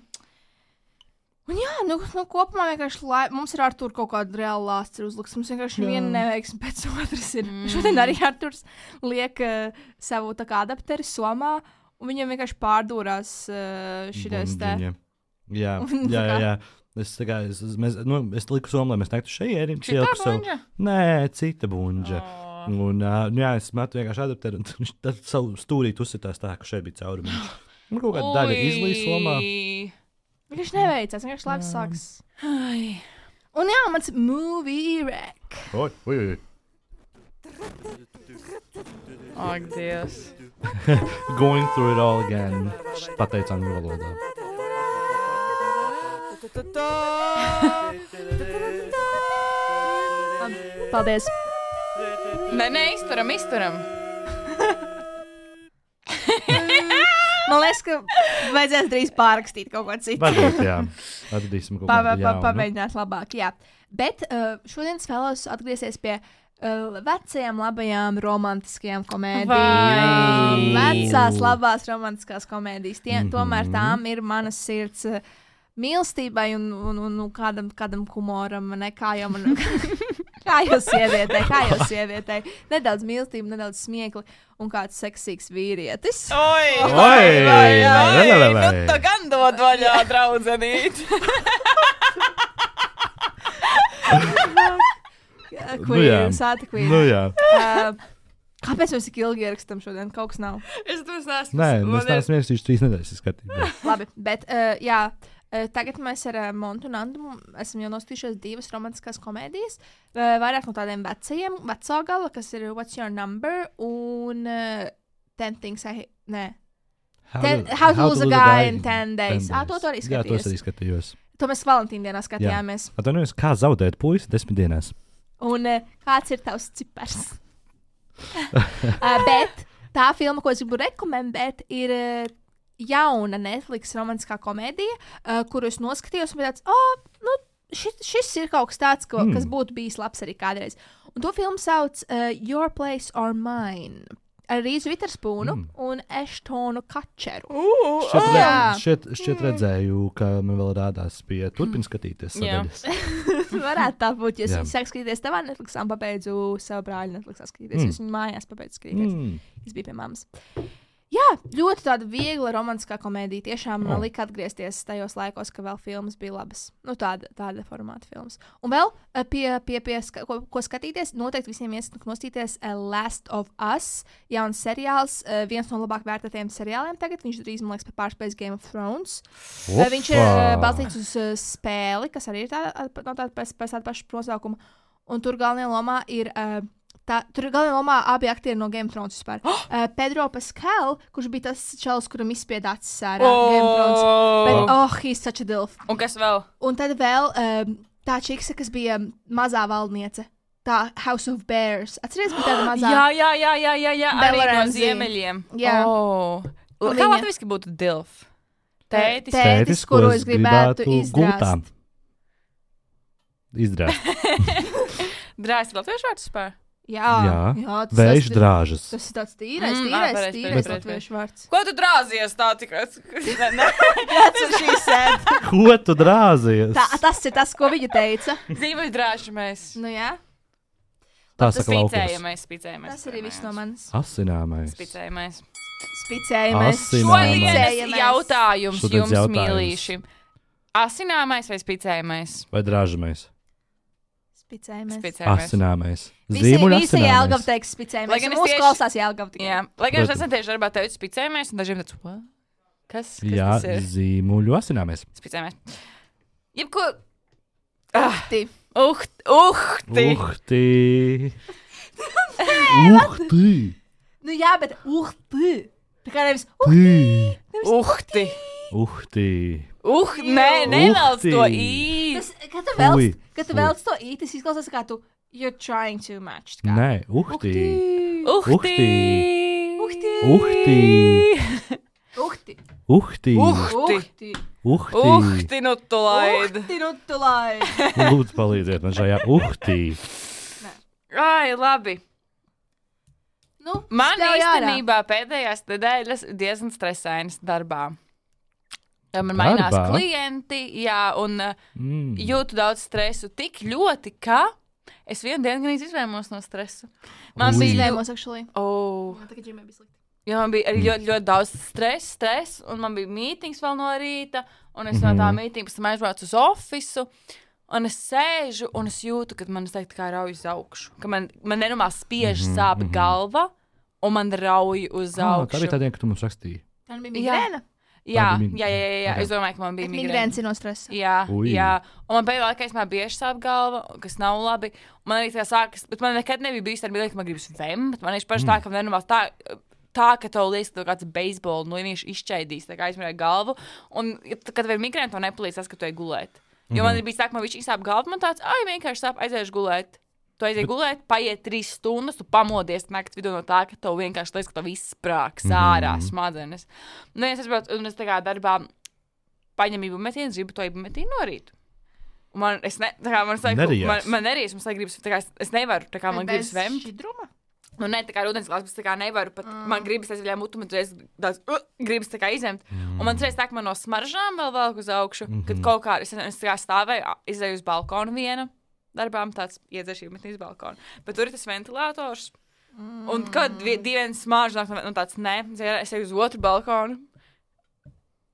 Un jā, nu, nu kopumā vienkārši lai, mums ir ar tur kaut kāda reāla lāsts uzliks. Mums vienkārši Jā. viena neveiksme pēc otras ir. Mm. Mm. Šodien arī Arturs liek uh, savu tā kā adapteri somā, un viņam vienkārši pārdūrās uh, šitais te. Bunģiņa. Jā, Un jā, tā jā. kā- jā. Es, tā kā, es, es, mēs, nu, es liku somu, lai mēs nektu šeit. Šitā buņģa? Nē, cita buņģa. Oh. Un, uh, nu, jā, es metu vienkārši adapteru, un viņš tad savu stūrīti uzsitās tā, ka šeit bija caurumiņš. Un kaut kāda daļa izlīja somā. Viņš neveicās, vienkārši labi sāks. Ai. Un jā, mans movie rec. Oi, oi, oi. Ak, Dievs. Going through it all again. Pateicu angļu valodā. Paldies. Nē, nē, izturam, izturam. Man liekas, ka vajadzēs drīz pārrakstīt kaut ko citu. Varbūt, jā. Atradīsim kaut Pa, ko pa, pa, tādu. pamēģināt labāk, jā. Bet uh, šodien es vēlos atgriezties pie uh, vecajām, labajām, romantiskajām komēdijām. Vecās, labās, romantiskās komēdijas. Tie, mm -hmm. Tomēr tām ir manas sirds uh, mīlestībai un, un, un, un kādam, kādam humoram, ne kā jau man... Kā jau sievietei, kā jau sievietei. Nedaudz mīlestība, nedaudz smiekli un kāds seksīgs vīrietis. Oi, Oi, vai, vai, vai, vai, vai. Nu, tu gan dod vaļā, draudzenīt. Queen, Sāta Queen. Nu jā. Uh, kāpēc mēs tik ilgi ierakstam šodien? Kaut kas nav. Es to esmu. Nē, mēs neesam ierakstījuši trīs nedēļas skatībā. Labi, bet uh, jā. Uh, tagad mēs ar uh, Montu un Andu esam jau nostījušies divas romantiskās komēdijas. Uh, vairāk no tādiem vecajiem, veco gala, kas ir What's Your Number un uh, Ten Things I Hate. Nē. How, Ten, to, how to Lose a Guy in Ten Days. Ah, to tu arī Jā, to es skaties. arī skatījos. To mēs Valentīna dienā skatījāmies. Atvainojos, kā zaudēt puisi desmit dienās? Un uh, kāds ir tavs cipars? uh, bet tā filma, ko es gribu rekomendēt, ir uh, jauna Netflix romantiskā komēdija, uh, kuru es noskatījos, un bija tāds, oh, nu, šis, šis ir kaut kas tāds, ko, mm. kas būtu bijis labs arī kādreiz. Un to filmu sauc uh, Your Place or Mine. Ar Rīzu Viterspoonu mm. un Ashtonu Kačeru. Uh, Šķiet, oh, re, jā. šķiet, šķiet redzēju, ka man vēl rādās pie turpin skatīties Jā. sadaļas. Varētu tā būt, ja Jā. es sāku skatīties tavā Netflixā un pabeidzu savu brāļu Netflixā skatīties. Mm. Es viņu mājās pabeidzu skatīties. Mm. Es biju pie mammas. Jā, ļoti tāda viegla romantiskā komēdija. Tiešām man Oh. lika atgriezties tajos laikos, ka vēl filmas bija labas. Nu, tāda, tāda formāta filmas. Un vēl eh, pie, pie, pie ska, ko, ko skatīties, noteikti visiem iesaku nostīties uh, Last of Us, jauns seriāls, uh, viens no labāk vērtētiem seriāliem tagad. Viņš drīz, man liekas, pārspējas Game of Thrones. Uh, viņš ir uh, balstīts uz uh, spēli, kas arī ir tāda, no tāda pēc, pēc tāda paša nosaukuma. Un tur galvenajā lomā ir... Uh, Tā, tur ir galvenā lomā abi aktieri no Game of Thrones vispār. Oh! Uh, Pedro Pascal, kurš bija tas čalis, kuram izspieda acis ārā Oh! Game of Thrones. Bet, oh, he's such a dilf. Un kas vēl? Un tad vēl um, tā čiksa, kas bija mazā valdniece. Tā House of Bears. Atceries, bija tāda mazā. Jā, jā, jā, jā, jā, jā. Bella Arī no Ramsey. ziemeļiem. Jā. Oh. Un Kā viņa- latviski būtu dilf? Tētis. Tē- Tētis, kuru es gribētu izdrāst. Izdrāst. Drāzti latviešu vārds spēr? Jā, Jā. jā tas, Vējš tas, drāžas. tas ir tāds tīrais, Mm, ā, tīrais, pareizi, tīrais pareizi, latviešu vārds. Ko tu drāzies tā tikai? Ne, ne. That's what she said. Ko tu drāzies? Tā, tas ir tas, ko viņa teica. Zīmoļu drāžamies. Nu jā, Tā Tas saka laukos. spicējamies, spicējamies. tas arī viss no manis. Asināmais. Spicējamies. Spicējamies. Asināmais. Šodienas Spicējamies. jautājums Šodienas jums, jautājums. mīlīši. Asināmais vai spicējamies? Vai drāžamais? Spicējamies. Spicējamies. Asināmais. Visi, Zīmuļu visi Jēlgava asināmais. teiks spicējamies. Lai gan es Mūsu tieši- klausās Jēlgava tikai. Jā, lai gan es Protams. esmu tieši darbā teicu spicējamies, un dažiem tāds, what? Kas, kas Jā, tas ir? zīmuļu asināmais. Spicējamies. Jebko... Ah, Ti. uht, uhti. Uhti. Uhti. Nu jā, bet uhti. Tā kā nevis Tī. Uhti. Uhti. Uh, nē, nevelc Uhti. to īt. Tas, kad tu velc, Fui. kad tu Fui. velc to īt, tas izklausās kā tu, you're trying too much. Kā. Nē, uhti. Uhti. Uhti. Uhti. Uhti. Uhti. Uhti. Uhti. Uhti. Uhti, nu tu laid. Uhti, nu tu lai. Lūdzu, palīdziet man šajā uhti. Ai, labi. Nu, Man spļauj ārā. īstenībā pēdējās nedēļas diezgan stresainas darbā. Jo Man mainās Darbā? klienti, jā, un uh, Mm. jūtu daudz stresu tik ļoti, ka es vienu dienu gan izvēmos no stresa. Man Ui. bija Izvēmos, actually. Oh, Man tā kā ģimē bija slikti. jo man bija arī ļoti, ļoti daudz stresa, stres, un man bija mītings vēl no rīta, un es no tā Mhm. mītinga pēc tam aizbraucu uz ofisu. Un es sēžu, un es jūtu, ka man teikti, kā rauj uz augšu. Ka man, man nenormāli spiež Mhm, sāp mhm. galva, un man rauj uz Ah, tā augšu. bija tā diena, kad tu mums rakstīji. Tā bija Jā. migrēna. Jā, Tā bija mi- jā, jā, jā, jā. Ok. Es domāju, ka man bija Bet migrēna. migrēns ir no stresa. Jā, Ui. jā. Un man pēdējā laikā man bieži sāp galva, kas nav labi. Un man arī tā sākas, bet man nekad nebija bijis tā, bija, ka man gribas vem, bet man ir paši tā, ka man nenormāli tā. Tā, ka tev liekas, ka tev kāds beisbola nu, viņš izšķaidīs, tā kā aizmirst galvu. Un, ja t- kad tev ir migrēna, tev nepalīdz tas, ka tu ej gulēt. Jo man ir bijis tā, ka man viņš sāp galva, man tāds, ai, vienkārši sāp, aiziešu gulēt. Tu aizies gulēt, paiet trīs stundas, tu pamodies naktas vidū no tā, ka tev vienkārši liekas, ka tev viss sprāks ārā Mhm. smadzenes. Nu, es saprotu, un es tā kā darbā paņemu ibumetīnu, gribu to ibumetīnu no rīta. Un Man, es ne, tā kā man saka, Nerijās. man, man nerijas, man saka, gribas, tā kā es, es nevaru, tā kā man gribas vemt. šķidruma? Nu, ne, tā kā ūdens glāzes, bet tā kā nevaru pat, mm. man gribas aizvaļā mutu, man reiz tāds, uh, gribas tā kā izņemt. Mm. Un man reiz tā, ka man no smaržām vēl velk uz augšu, mm -hmm. kad kaut kā, es, es tā kā stāvēju, izēju uz balkonu vienu darbām, tāds iedzeršība metīs balkonu. Bet tur ir tas ventilators. Mm. Un kad divi smāržu nāk, nu tāds, ne, es eju uz otru balkonu.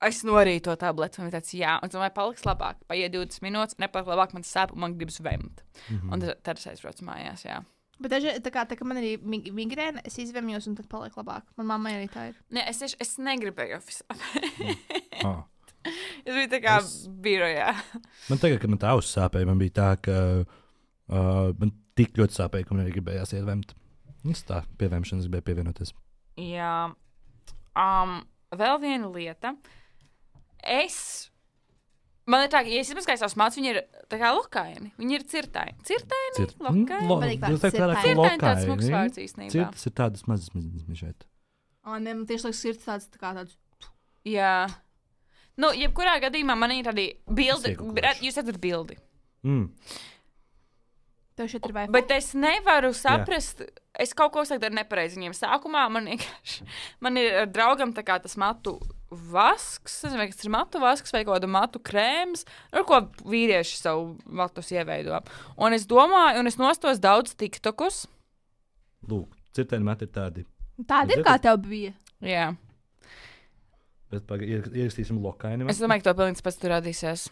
Es norīju to tableti, un tāds, jā, un domāju, paliks labāk. Paiet divdesmit minūtes, nepaliek labāk, man sāp, un man gribas vemt. Mm -hmm. Un tad, tad es aizbraucu mājās, jā. Bet daži, tā kā, tā kā man arī migrēna, es izvemjos, un tad paliek labāk. Man mamma arī tā ir. Nē, es, es, es negribēju oficiāli. Ah. Es biju tā kā Es- es... birojā. Man tagad, kad man tā auss sāpēja, man bija tā, ka uh, man tik ļoti sāpēja, ka man arī gribējās iet vemt. Es tā pievemšanas gribēju pievienoties. Jā. Um, vēl viena lieta. Es. Man ir tā, ka, ja es izmaskāju savus mācus, viņi ir tā kā lokaini. Viņi ir cirtaini. Cirtaini? Cirt- Lokaini? lo- Patīk vārds jūs teikt, vairāk cirtaini. Cirtaini tāds lokaini. smags vārds īstenībā. Cirtas ir tādas mazas mižēt. O, ne, man tieši liekas, sirds tāds, tā kā tāds. Jā. Nu, jebkurā gadījumā man ir tādi bildi. Iegūkoši. Jūs redzat bildi. Mm. Tev šeit ir vai Bet es nevaru saprast, Jā. es kaut ko saku ar nepareizi viņiem. Sākumā man vienkārši, man ir ar draugam tā kā tas matu vasks, es nezinu, vai tas ir matu vasks vai kaut kāda matu krēms, ar ko vīrieši savu matus ieveido. Un es domāju, un es nostos daudz tiktokus. Lūk, cirtēni mati ir tādi. Tāda ir, kā tev bija. Jā. Bet paga, ier- ierakstīsim lokaini. Es domāju, ka to pilnīgi pēc tur radīsies.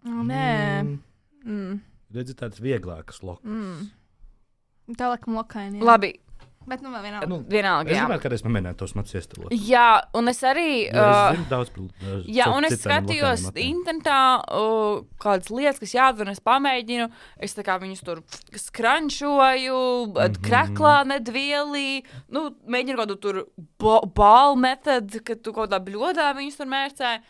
O, nē. Mm. Mm. Redzi tādas vieglākas lokas. Mm. Tā laikam lokaini. jā. Labi, Bet nu vēl vienalga. Nu, vienalga. es Jā. gribētu kādreiz pamēģināt tos matus iestilot. jā, un es arī. Jo es Uh, zinu daudz par, uh, Jā, cit- un es citiem skatījos lokainiem matiem. internetā, uh, kādas lietas, kas jādara, un es pamēģinu. Es tā kā viņus tur skrančoju, mm -hmm. kraklā nedvielī, nu, mēģinu kādu tur bālu metodu, kad tu kaut kādā bļodā viņus tur mērcē.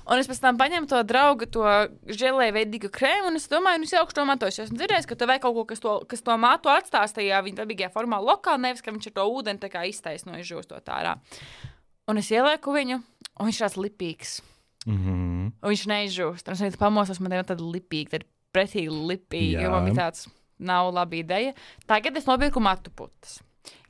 Un es pēc tam paņēmu to draugu, to žēlēju veidīgu krēmu, un es domāju, nu, es jau to matos. Es esmu dzirdējis, ka tev vajag kaut ko, kas to, kas to matu atstās tajā viņa dabīgajā formā lokā, nevis, ka viņš ar to ūdeni tā kā iztaisno izžūstot ārā. Un es ielieku viņu, un viņš tāds lipīgs. Mhm. Un viņš neizžūst. Un es vienkārši pamosos, man ir tāda lipīga, tāda pretīgi lipīga, Jā. jo man bija tāds, nav laba ideja. Tagad es nopirku matu putas.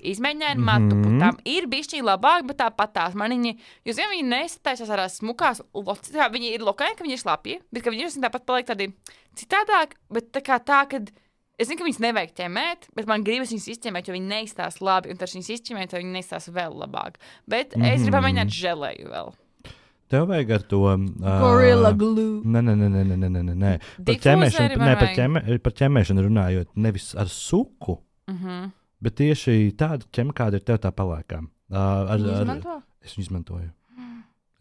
Izmēģināju Mhm. matu putām. Ir bišķiņi labāk, bet tāpat tās maniņi, jūs zināt, viņi nestaisās ar smukās, loci- tā, viņi ir lokaini, ka viņi ir slapji, bet ka viņi ir tāpat paliek tādi citādāk, bet tā kā tā, kad es zinu, ka viņas nevajag ķemēt, bet man gribas viņas izķemēt, jo viņi neizstās labi, un tad viņas izķemēt, tad viņi neizstās vēl labāk. Bet mm -hmm. es gribu pamēģināt želēju vēl. Tev vajag ar to. Uh, Gorilla glue. Nē, nē, nē, nē, nē, nē, nē, nē. Par Difūzeri ķemēšanu, man nē, par, vajag. ķemē, par ķemēšanu runājot, nevis ar suku, Mhm. bet tieši tādu ķem, kāda ir tev tā palēkā. Uh, ar, Viņi ar, izmanto? es viņu izmantoju.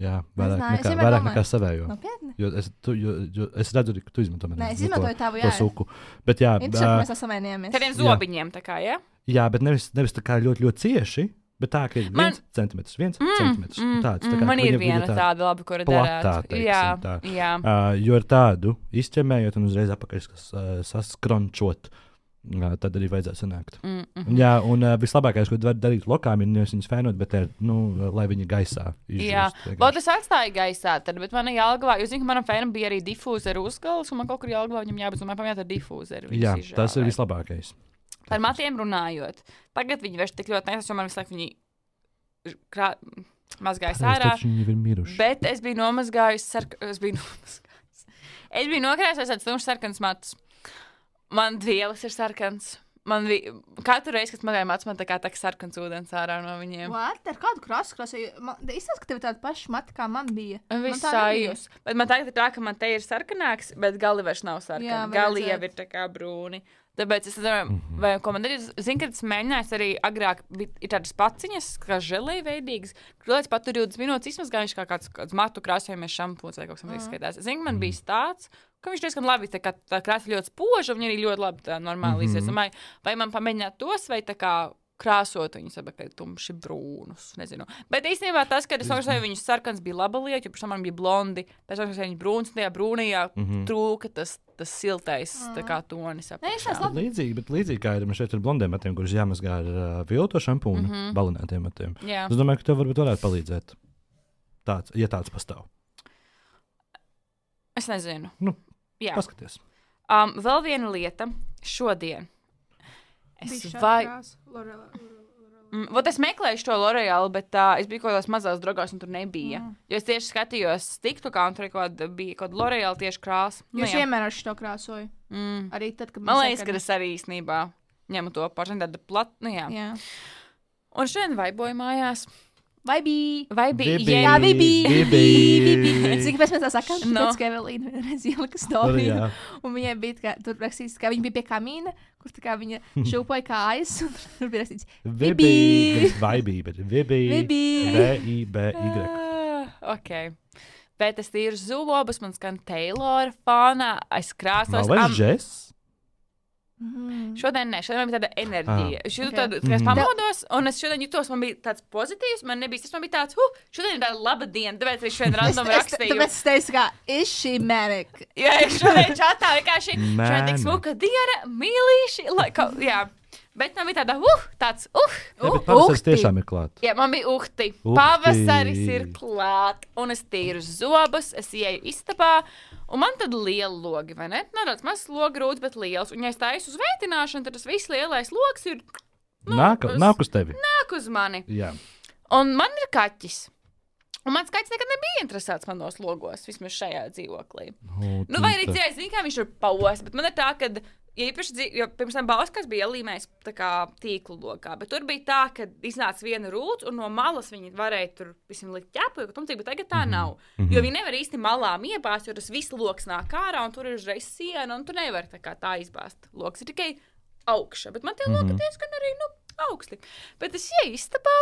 Jā, vairāk Nezināju, es nekā, vienmēr vairāk domāju. nekā savējo. Nopietni? Jo es, tu, jo, jo es redzu, arī, ka tu izmanto mani. Nē, es nu, to- izmantoju tavu, to jā. suku. Bet jā, Interesanti, ā, mēs esam savienojamies. Tādiem zobiņiem, tā kā, ja? jā, bet nevis, nevis tā kā ļoti, ļoti cieši, bet tā, ka ir Man- viens centimetrs, viens centimetrs. mm, Tāds, tā mm, kā, man ka ir viņa- viņa viena tā- tāda laba, kur platā, darāt. teiksim, Jā, tā. jā. Uh, jo ar tādu izķemējot un uzreiz apakaļ uh, saskrončot, uh, tad arī vajadzētu sanākt. Mm, mm. Un, jā, un uh, vislabākais, ko var darīt lokām, ir nevis viņas fēnot, bet ir, nu, lai viņi gaisā izžūst. Jā, vienkārši. vēl tas atstāja gaisā, tad, bet man jālgavā, jūs zināt, ka manam fēnam bija arī difūzera uzgals, un man kaut kur jālgavā viņam jābūt, un man pamēt ar difūzeru. viņus Jā, izžāvēt. tas ir vislabākais. Par matiem runājot. Tagad viņi vairs tik ļoti nesas, jo man visu laiku viņi krā... mazgājas Pareizi, ārā. taču viņi ir miruši. Bet es biju nomazgājis, sark... es biju nomazgājis. Es biju nokrājis tāds tumšs sarkans matus. Man vielas ir sarkans. Man vi... Katru reizi, kad mazgāju matus, man tā kā tā sarkans ūdens ārā no viņiem. What? Ar kādu krasu krāsu? Man izskatās, ka tev ir tāda paša mata, kā man bija. Un Man viss tā nebija. sajūs. Bet man tagad ir tā, ka man te ir sarkanāks, bet gali vairs nav sarkani. Jā, var Gali jau redzēt. ir tā kā brūni. Tāpēc es domāju, mm -hmm. vai ko man darīt. Zinu, ka tas mēģinājums arī agrāk bija ir tādas paciņas, kā žēlēji veidīgas. Kurlēc pat tur divdesmit minūtes izmazgājuši kā kāds, kāds matu krāsojamies šampūns vai kaut kas tam izskaitās. Zinu, man bija tāds, ka viņš diezgan labi, tā kā tā krāsa ļoti spoža, un viņa arī ļoti labi tā normāli Mhm. izies. Domāju, vai man pamēģināt tos, vai tā kā krāsot viņus abi tumši brūnus. Nezinu. Bet īstenībā tas, kad es nošķēju viņus sarkans, bija laba lieta, jo pēc tam man bija blondi. Pēc tam, kad viņi brūns, tajā brūnajā mm -hmm. trūka tas, tas siltais mm. tā kā tonis. Līdzīgi, bet līdzīgi kā ir šeit ar blondiem matiem, kurus jāmazgā ar uh, vilto šampūnu, mm -hmm. balinētiem matiem. Jā. Es domāju, ka tev varbūt varētu palīdzēt. Tāds, ja tāds pastāv. Es nezinu. Nu, Jā. Paskaties. Um, vēl viena lieta. Šodien. Es vai... Mm, vot es meklēju to L'Oreal, bet uh, es biju kaut kādās mazās drogās, un tur nebija. Mm. Jo es tieši skatījos TikTokā, un tur kaut bija kaut kāda L'Oreal tieši krāsa. Nu, Jūs vienmēr ar šo krāsoju. Mm. Arī tad, kad man liekas, ka es arī īstenībā ņemu to pašu tādu platu. Nu, jā. jā. Un šodien vaiboju mājās. Vai bija? Vai bija? Jā, jā vai bija. Cik pēc mēs tā sakām? No. Pēc, ka Evelīna vienreiz ielika storiju. Un viņai bija, kā, tur rakstīts, ka viņa bija pie kamīna, kur tā kā viņa šūpoja kājas. Un tur bija rakstīts, vai bija. Vai bija, bet vai bija. Vai bija. V I B Y. Ok. Bet es tīru zobus, man skan Taylor fānā, es krāsos. Nav vairs Jess? Mm. Šodien ne, šodien man bija tāda enerģija. Ah. Es jūtu Okay. tādu, ka es pamodos, un es šodien jutos, man bija tāds pozitīvs, man nebija, tas man bija tāds, huh, šodien ir tāda laba diena, tāpēc es šodien random rakstīju. Tāpēc es teicu, kā, is she manic? Jā, es šodien čatā vienkārši, šodien tik smuka diena, mīlīši, lai, ka, jā. Bet man bija tāda, uh, tāds, uh, Jā, uh, bet pavasaris uhti. tiešām ir klāt. Jā, man bija uhti. Uhti. Pavasaris ir klāt, un es tīru zobus, es ieju istabā, un man tad liela logi, vai ne? Nav tāds mazs logi rūts, bet liels. Un ja es taisu uz veitināšanu, tad tas viss lielais logs ir, nu, Nāk, uz- nāk uz tevi. nāk uz mani. Jā. Un man ir kaķis. Un mans kaķis nekad nebija interesēts manos logos, vismaz šajā dzīvoklī. O, Nu, vai arī Tīta. dzīvē, zini, kā viņš ir paos, bet man ir tā, ka, ja īpaši dzīv, jo pirms tam Bauskas bija ielīmējis tā kā tīklu lokā, bet tur bija tā, ka iznāca viena rūts, un no malas viņi varēja tur visam likt ķepu, jo tumcīgi, bet tagad tā nav. Mhm. Jo viņi nevar īsti malām iebāzt, jo tas viss loks nāk ārā, un tur ir uzreiz siena, un tu nevari tā kā tā izbāzt. Loks ir tikai augša, bet man tie loki Mhm. diezgan arī, nu, augsti. Bet es ieju istabā,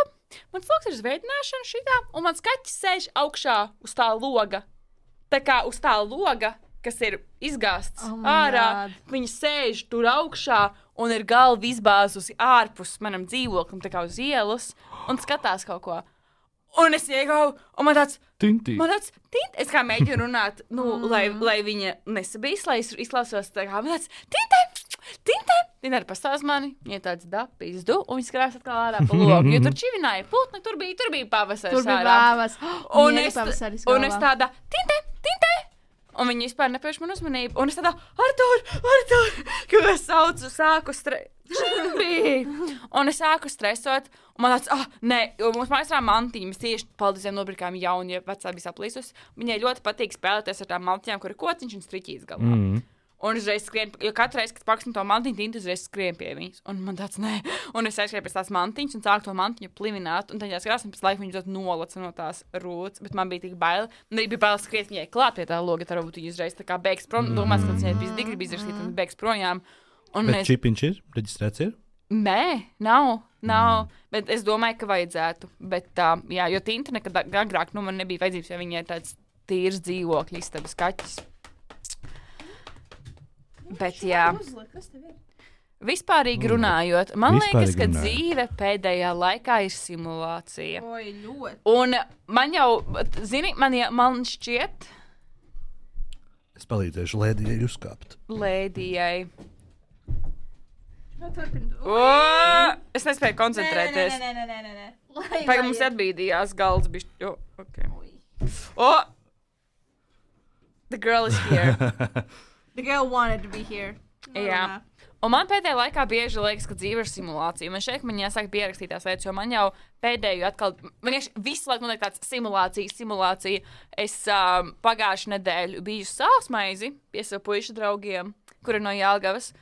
mans loks ir uz veidināšanu šitā, un mans kaķis sēž augšā uz tā loga. Tā kā uz tā loga, kas ir izgāzts Oh my ārā, God. viņa sēž tur augšā un ir galva izbāzusi ārpus manam dzīvoklim, tā kā uz ielas, un skatās kaut ko. Un es iegāju, un man tāds, Tintī. man tāds, tint, es kā mēģinu runāt, nu, lai, lai viņa nesabīs, lai es izklausos tā kā, man tāds, tintē, tintē, viņa arī pastāst mani, viņa tāds dapīs du, un viņa skrās atkal ārā pa logu, jo tur čivināja putni, tur bija, tur bija pavasaris Tur bija ārā. vāvas. Un Viņai es, pavasaris un es galvā. tādā, tintē, tintē. Un viņi vispār nepērš man uzmanību. Un es tādā, Artur, Artur, ka es saucu, sāku stresot. Un es sāku stresot. Un man tāds, ah, nē, jo mums mājās ir mantiņa. Mēs tieši paldiesiem nopirkām jaunu, ja vecā bija saplīsus. Viņai ļoti patīk spēlēties ar tām mantiņām, kur ir kociņš un striķīs galvā. Mm. Un uzreiz skrien, jo katru reizi, kad paksim to mantiņu, tintu uzreiz skrien pie viņas. Un man tāds, nē. Un es aizskrēju pēc tās mantiņas un sāku to mantiņu plivināt. Un tad es krāsam pēc laika viņu dot nolaca no tās rūtas. Bet man bija tik bail. Man arī bija bail skriet viņai klāt pie tā loga. Tā varbūt viņa uzreiz tā kā beigs prom. Mm. Domās, ka viņai bija digri bija izrakstīt un beigs projām. Un Bet es, čipiņš ir? Reģistrēts ir? nē, nav, nav. Mm. Bet es domāju, ka vajadzētu. Bet, uh, jā, jo tinta nekad agrāk, nu, man nebija vajadzības, jo viņai tāds tīrs dzīvokļi, istabas kaķis. Bet, jā. Vispārīgi runājot, man Vispārīgi liekas, ka runājot. dzīve pēdējā laikā ir simulācija. Oi, ļoti. Un man jau, zini, man, jau, man šķiet, Es palīdzēšu Lēdijai uzkāpt. Lēdijai. Nu, turpin. O, es nespēju koncentrēties. Nē, nē, nē, nē, nē. Pagaidām mums atbīdījās galds. Bišķi. O, okay. O! The girl is here. The girl wanted to be here. Jā. Un man pēdējā laikā bieži liekas, ka dzīve ir simulācija. Man šeit man jāsaka pierakstīt tās lietas, jo man jau pēdējo atkal, vienkārši visu laiku man ir tāds simulācija, simulācija. Es um, pagājušu nedēļu biju sausmaizi pie savu puišu draugiem, kuri no Jelgavas.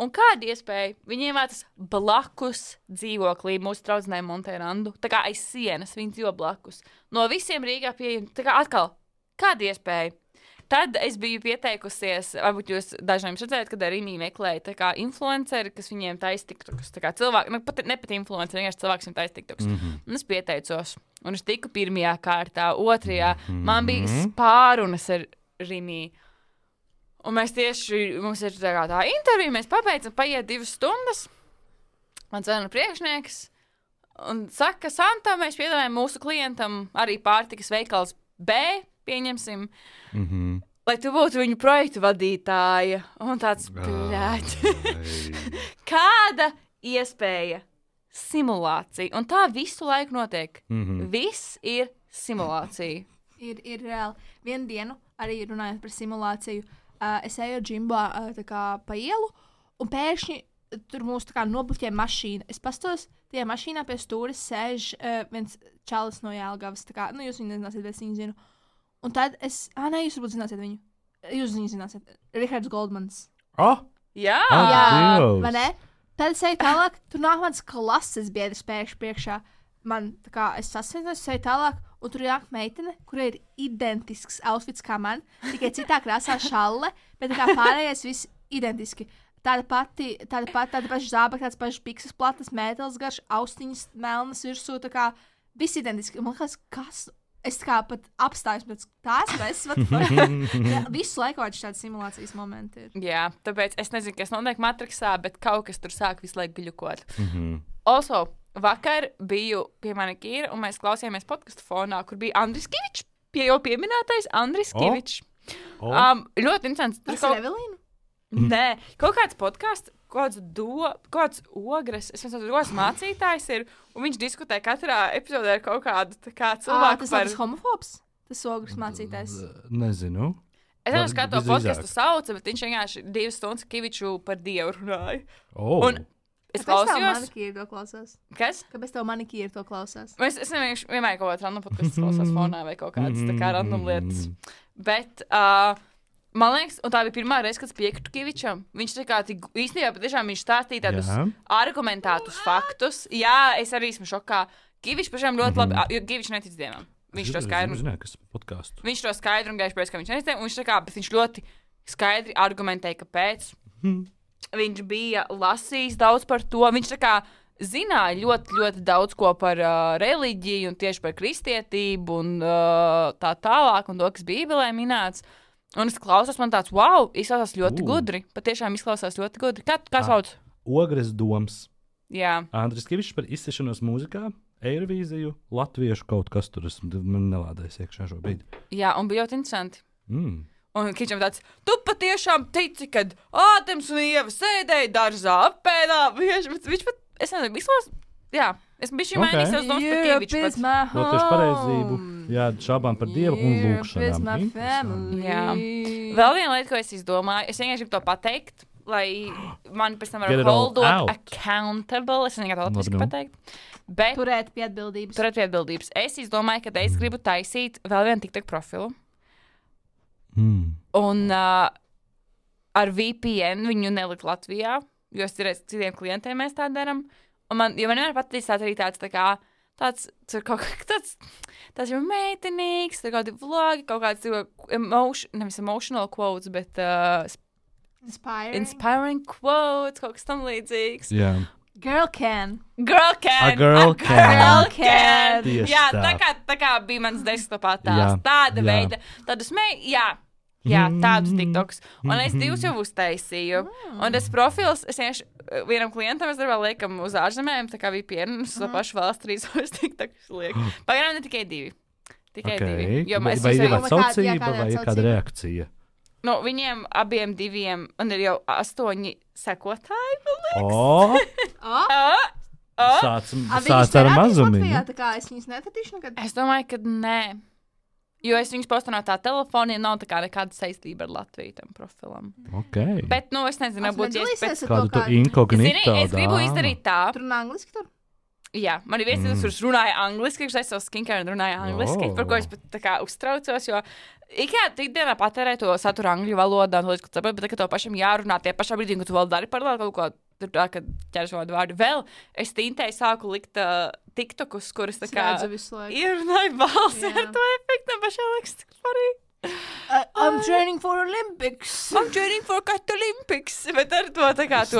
Un kāda iespēja viņiem vērtas blakus dzīvoklī mūsu draudzenei Monterandu. Tā kā aiz sienas viņi dzīvo blakus. No visiem Rīgā pieejami, tā kā atkal, kāda iespēja? Tad es biju pieteikusies, varbūt jūs dažiem redzējāt, kad arī Rīmī meklēja tā kā influenceri, kas viņiem taisa tiktokus. Tā kā cilvēki, nu, pat, ne pat influenceri, vienkārši cilvēks viņiem taisa tiktokus. Mm -hmm. Un es pieteicos. Un es tiku pirmajā kārtā, otrajā. Mm -hmm. Man bija spārunas ar Rīmī. Un mēs tieši, mums ir tā kā tā intervija, mēs pabeidzam, paiet divas stundas. man zvana priekšnieks un saka, Santa, mēs piedāvājam mūsu klientam arī pārtikas veikals B, pieņemsim, Mhm. lai tu būtu viņu projektu vadītāja. Un tāds, bļāt. Kāda iespēja? Simulācija. Un tā visu laiku notiek. Mhm. Viss ir simulācija. Ir, ir reāli. Vienu dienu, arī runājot par simulāciju, uh, es eju džimbā uh, tā kā pa ielu, un pēkšņi tur mūs tā kā nobluķē mašīna. Es pastos, tajā mašīnā pie stūres sēž uh, viens čalis no Jelgavas. Tā kā, nu, jūs viņu nezināsiet, bet es viņu zinu. Un tad es, ā, nē, jūs varbūt zināsiet viņu. Jūs viņu zināsiet. Rihards Goldmans. Oh! Jā! Ah, Jā, Dievs. vai ne? Tad es eju tālāk, tur nāk mans klases biedrs pēkšņi priekšā. Man, tā kā, es sasniedzu, es eju tālāk, un tur nāk meitene, kurai ir identisks outfits kā man, tikai citā krāsā šalle, bet tā kā pārējais viss identiski. Tāda pati, tāda pati, tāda paša zābaka, tāds pašs pikses platas, mētelis garš, austiņas melnas virsū, tā kā viss identiski. Un man liekas, kas, es tā kā pat apstājos, bet tās mēs, what the fuck? Visu laiku atšķi tādi simulācijas momenti ir. Jā, tāpēc es nezinu, kas notiek Matrixā, bet kaut kas tur sāk visu laiku gļukot. Mhm. Also, vakar biju pie manikīra, un mēs klausījāmies podcastu fonā, kur bija Andris Kivičs, pie jau pieminētais Andris O. Kivičs. Oh. Um, ļoti interesants. Tur Tas ir kaut, Evelīna? nē, kaut kāds podkāsts, kaut kāds do, kaut kāds ogres, es nezinu, ogres mācītājs ir, un viņš diskutē katrā epizodē ar kaut kādu tā kā Ā, cilvēku tas par... ir homofobs? Tas ogres mācītājs. Nezinu. Es nezinu, kā to Visdrīzāk. podcastu sauca, bet viņš vienkārši divas stundas Kiviču par dievu runāja. Oh. Un es Kāpēc tev klausījos... manikīri to klausās? Kas? Kāpēc tev manikīri to klausās? Es, es vienkārši vienmēr kaut kādā random podkāstā klausās fonā vai kaut kādas tā kā random lietas. Bet, uh, man liekas, un tā bija pirmā reize, kad es piekritu Kivičam. Viņš tā kā tik, īstenībā patiešām viņš stāstīja tādus Jā. argumentētus faktus. Jā, es arī esmu šokā. Kivičs pašām ļoti labi, mm -hmm. jo Kivičs netic dievam. Viņš to skaidri, Zinu, kas ir podkāsts. viņš to skaidri un gaiši pēc, ka viņš netic dievam. Viņš tā kā, bet viņš ļoti skaidri argumentēja, kāpēc. Viņš bija lasījis daudz par to. Viņš tā kā zināja ļoti, ļoti daudz ko par uh, reliģiju un tieši par kristietību un uh, tā tālāk, un to, kas Bībelē minēts. Un es klausos, man tāds, wow, izklausās ļoti Uh. gudri. Patiešām izklausās ļoti gudri. Kā, kā Ah. sauc? Ogres doms. Jā, Andris Kivičs par izsešanos mūzikā, Eirovīziju, latviešu kaut kas tur. Es man nelādēju iekšā šobrīd. jā, un bija ļoti interesanti. Mm. Un Kičam tāds, tu patiešām tici, kad Ādams un Ieva sēdēja dārzā apēdā. Viņš, viņš pat, es nezinu, izklausās, jā, es biju šī Ok. mainījis savus domas par Kiviču. pat. Doties pareizību, jā, šābām par Dievu un lūkšanām. Jā. Vēl viena lieta, ko es izdomāju, es vienkārši gribu to pateikt, lai mani pēc tam Get var it all holdot out. accountable. Es nezinu, kā to Labi, latviski nu. pateikt. Bet Turēt pie atbildības. turēt pie atbildības. Es izdomāju, ka es gribu taisīt vēl vienu TikTok profilu. Mm. Un uh, ar V P N viņu nelikt Latvijā, jo es cerēju, citiem klientiem mēs tā darām. Un man, jo man vienmēr patīk tāds arī tāds, tā kā, tāds, tur kaut kā tāds, tāds jau meitenīgs, tur kaut kādi vlogi, kaut kāds cilvēku emotion, nevis emotional quotes, bet uh, Inspiring. inspiring quotes, kaut kas tam līdzīgs. Jā, Girl can. Girl can! A girl can. Girl can! Tieši Jā, tā. tā kā, tā kā bija mans desktopā tās. Jā, Tāda jā. veida, tādus mei, jā. Jā, tādus TikToks. Un es divus jau uztaisīju. Un tas profils, es vienkārši uh, vienam klientam, es darbā liekam uz ārzemēm, tā kā bija piernas, uz to pašu valsts trīs uz TikToks lieku. Pagaidām ne tikai divi. Tikai Okay. divi. Jo Vai mēs vai ir visi- jau- atsaucība kāda vai ir kāda atsaucība? reakcija? nu, viņiem abiem diviem, un ir jau astoņi sekotāji. man O, O, liekas. Ah, sācam, a, viņas sāc ar parādīs mazumiņu. Latvijā, tā kā es viņus nepatīšu nekad. Es domāju, ka nē. Jo es viņus postu no tā telefona, ja nav tā kā nekāda saistība ar Latviju tam profilam. Okay. Bet, nu, es nezinu, Es varbūt tieši pēc nedalīsies ar Kādu to tu kādu. inkognito Zini, es gribu dāmu? izdarīt tā. Tur runā angliski tur? Jā, man ir viens, Mm. mm. kurš runāja angliski, kurš aizsāca skincare un runāja angliski, Oh. par ko es pat tā kā uztraucos, jo ikā ikdienā patērē to saturu angļu valodā, un to līdz, ko saprot, bet tā, ka to pašam jārunā tie pašā brīdī, kad tu vēl dari paralēli kaut ko, tur tā, kad ķers vārdu vārdu. Vēl es tintēji sāku likt uh, tiktokus, kuras tā kā Redzu visu laiku. ierunāju balsi Jā. ar to efektu, un pašā liekas tik svarīgi. Uh, I'm training for Olympics. I'm training for Cat Olympics, bet ar to tā kā to.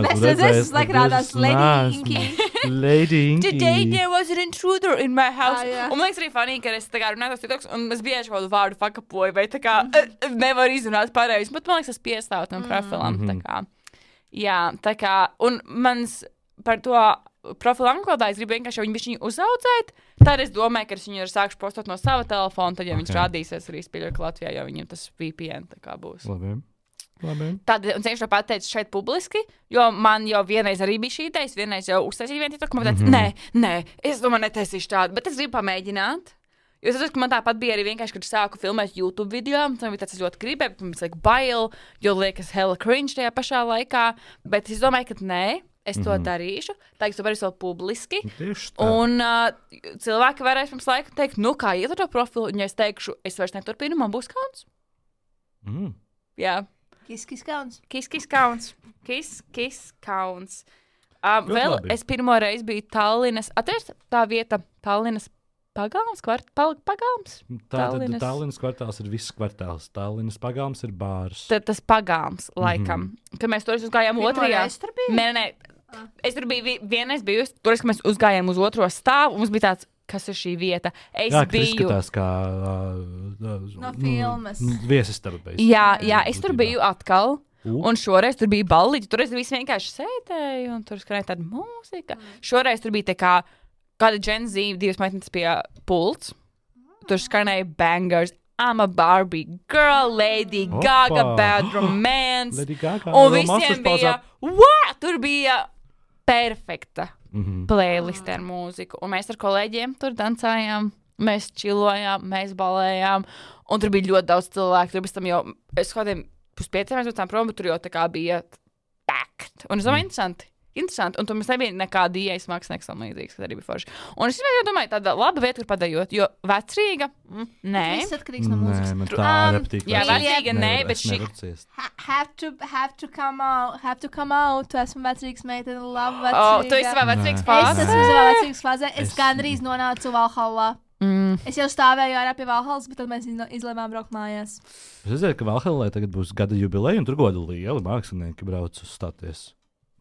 Mēs redzēsim, es laiku rādās Lady Inky. Lady Inky. Today there was an intruder in my house. Ah, jā. Un man liekas arī funny, ka es tā kā runāju tos tiktoks, un es bieži kaut kādu vārdu fakapoju, vai tā kā uh, nevaru izrunāt pareizi, bet man liekas, tas piestāv tam profilam. Mhm. Tā kā. Jā, tā kā, un mans par to profilu anglodā, es gribu vienkārši viņu bišķiņu uzaudzēt. Tad es domāju, ka es viņu sākšu postot no sava telefona, tad, ja okay. viņš rādīsies arī spīļot Latvijā, jo viņam tas V P N tā kā būs. Labi. Labi. Tad, un cenšu to pateicu šeit publiski, jo man jau vienreiz arī bija šī ideja, es vienreiz jau uztaisīju vienu TikTok, man teica, mm-hmm. nē, nē, es domāju, netaisīšu tādu, bet es gribu pamēģināt. Jo es atceros, ka man tāpat bija arī vienkārši, kad sāku filmēt YouTube video, tam bija tāds, es ļoti gribēju, bet man liekas bail, jo liekas hella cringe tajā pašā laikā, bet es domāju, ka nē, es to mm-hmm. darīšu, tā es to varēšu vēl publiski, un uh, cilvēki varēs pirms laika teikt, nu kā iet ar to profilu, un ja es teikšu, es vairs neturpinu, man būs kauns. Mm. Jā. Kis, kis kauns. Kis, kis kauns. Kis, kis kauns. Um, vēl labi. Es pirmo reizi biju Tallinas, atceries tā vieta Tallinas Pagalms, kvart, pal, pagalms? Tātad Tallinas kvartāls ir viss kvartāls. Tallinas pagalms ir bārs. Tad tas pagalms, laikam. Mm-hmm. Kad mēs tur uzgājām Pirmo otrajā. reizi tur biji? Nē, nē, ah. Es tur biju vienreiz bijusi, tur, kad mēs uzgājām uz otro stāvu, un mums bija tāds, kas ir šī vieta. Es jā, biju. Izskatās kā uh, no filmas. Viesistaba. Jā, jā, es tur biju atkal. Uh. Un šoreiz tur bija ballīti, tur es visi vienkārši sēdēju, un tur skanēja tāda mūzika. Mm. Šoreiz tur bija tā kā kāda Gen Z, divas meitenes pie pults. Tur skanēja bangers. I'm a Barbie girl, Lady Opa. Gaga, Bad Romance. Lady Gaga. Un visiem bija, what? Tur bija perfekta mm-hmm. playlist ar mūziku. Un mēs ar kolēģiem tur dancājām, mēs čilojām, mēs balējām. Un tur bija ļoti daudz cilvēku. Tur bez tam jau, es kādiem puspieciem mēs būtām prom, bet tur jau tā kā bija packed. Un es domāju, mm. interesanti. Interesanti, un tur mums nebija nekāda ieejas mākslinieks tam līdzīgs, kas arī bija forši. Un es jau domāju, tāda laba vieta, kur padējot, jo vecrīga, mm, nē. Viss atkarīgs no mūzikas. Nē, man tā Um, repetīka. Jā, vecrīga, nē, Nevar- bet es šī, nevaru ciest. Ha- Have to, have to come out, have to come out. Tu esmu vecrīgs meitene, labu oh, vecrīga. tu esi savā vecrīgas Es fāzē. esmu savā vecrīgas fāzē. Es Es- gandrīz nonācu Valhallā. Mm. Es jau stāvēju ārā pie Valhallas, bet tad mēs izno- izlēmām braukt mājās. Es redzēju, ka Valhallā tagad būs gada jubileja, un tur goda lieli mākslinieki brauc uzstāties.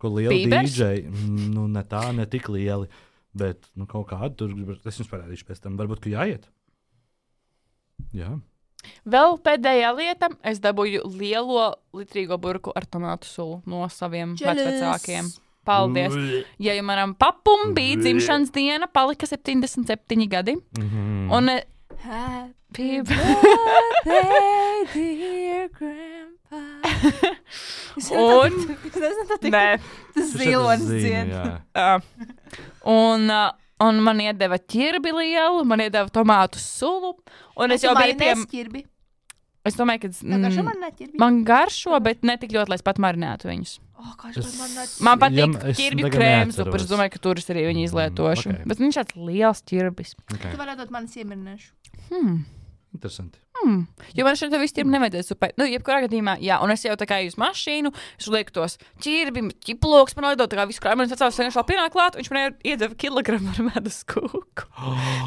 Ko lieli Bībers? D J, mm, nu ne tā, ne tik lieli, bet nu, kaut kādu tur, es jums parādīšu pēc tam, varbūt, ka jāiet. Jā. Vēl pēdējā lieta, es dabūju lielo litrīgo burku ar tomātu sulu no saviem vecvecākiem. Paldies. Ja jau manam papum bija dzimšanas diena, palika septiņdesmit septiņi gadi. Mm-hmm. Un eh, Happy birthday, dear grandpa. Un- Es nezinu, tā tik. nē. Tas zilonis dzien. Uh, un, uh, un man iedeva ķirbi lielu, man iedeva tomātu sulu. Un es jau biju pie... Ķirbi. Es domāju, ka... Tev garšo Mm, man neķirbi? man garšo, bet ne tik ļoti, lai es pat marinētu viņus. O, garšo Es- man neķirbi. Man patīk Ja, ja, es ķirbju tagad krēms, neatceros. upur, es domāju, ka tur es arī viņu izlietošu. Mm, ok. Bet viņš tāds liels ķirbis. Okay. Tu varētu dot manis iemirināšu. Hmm. Interesanti. Hmm. Jo man šeit viss ķirbi nevajadzēja super. Nu, jebkurā gadījumā, jā, un es jau tā kā uz mašīnu, es lieku tos ķirbi, ķiploks, man liedot tā kā visu krājumu, un es atceros, ka viņš vēl pienāk klāt, un viņš man iedeva kilogramu ar medus kūku.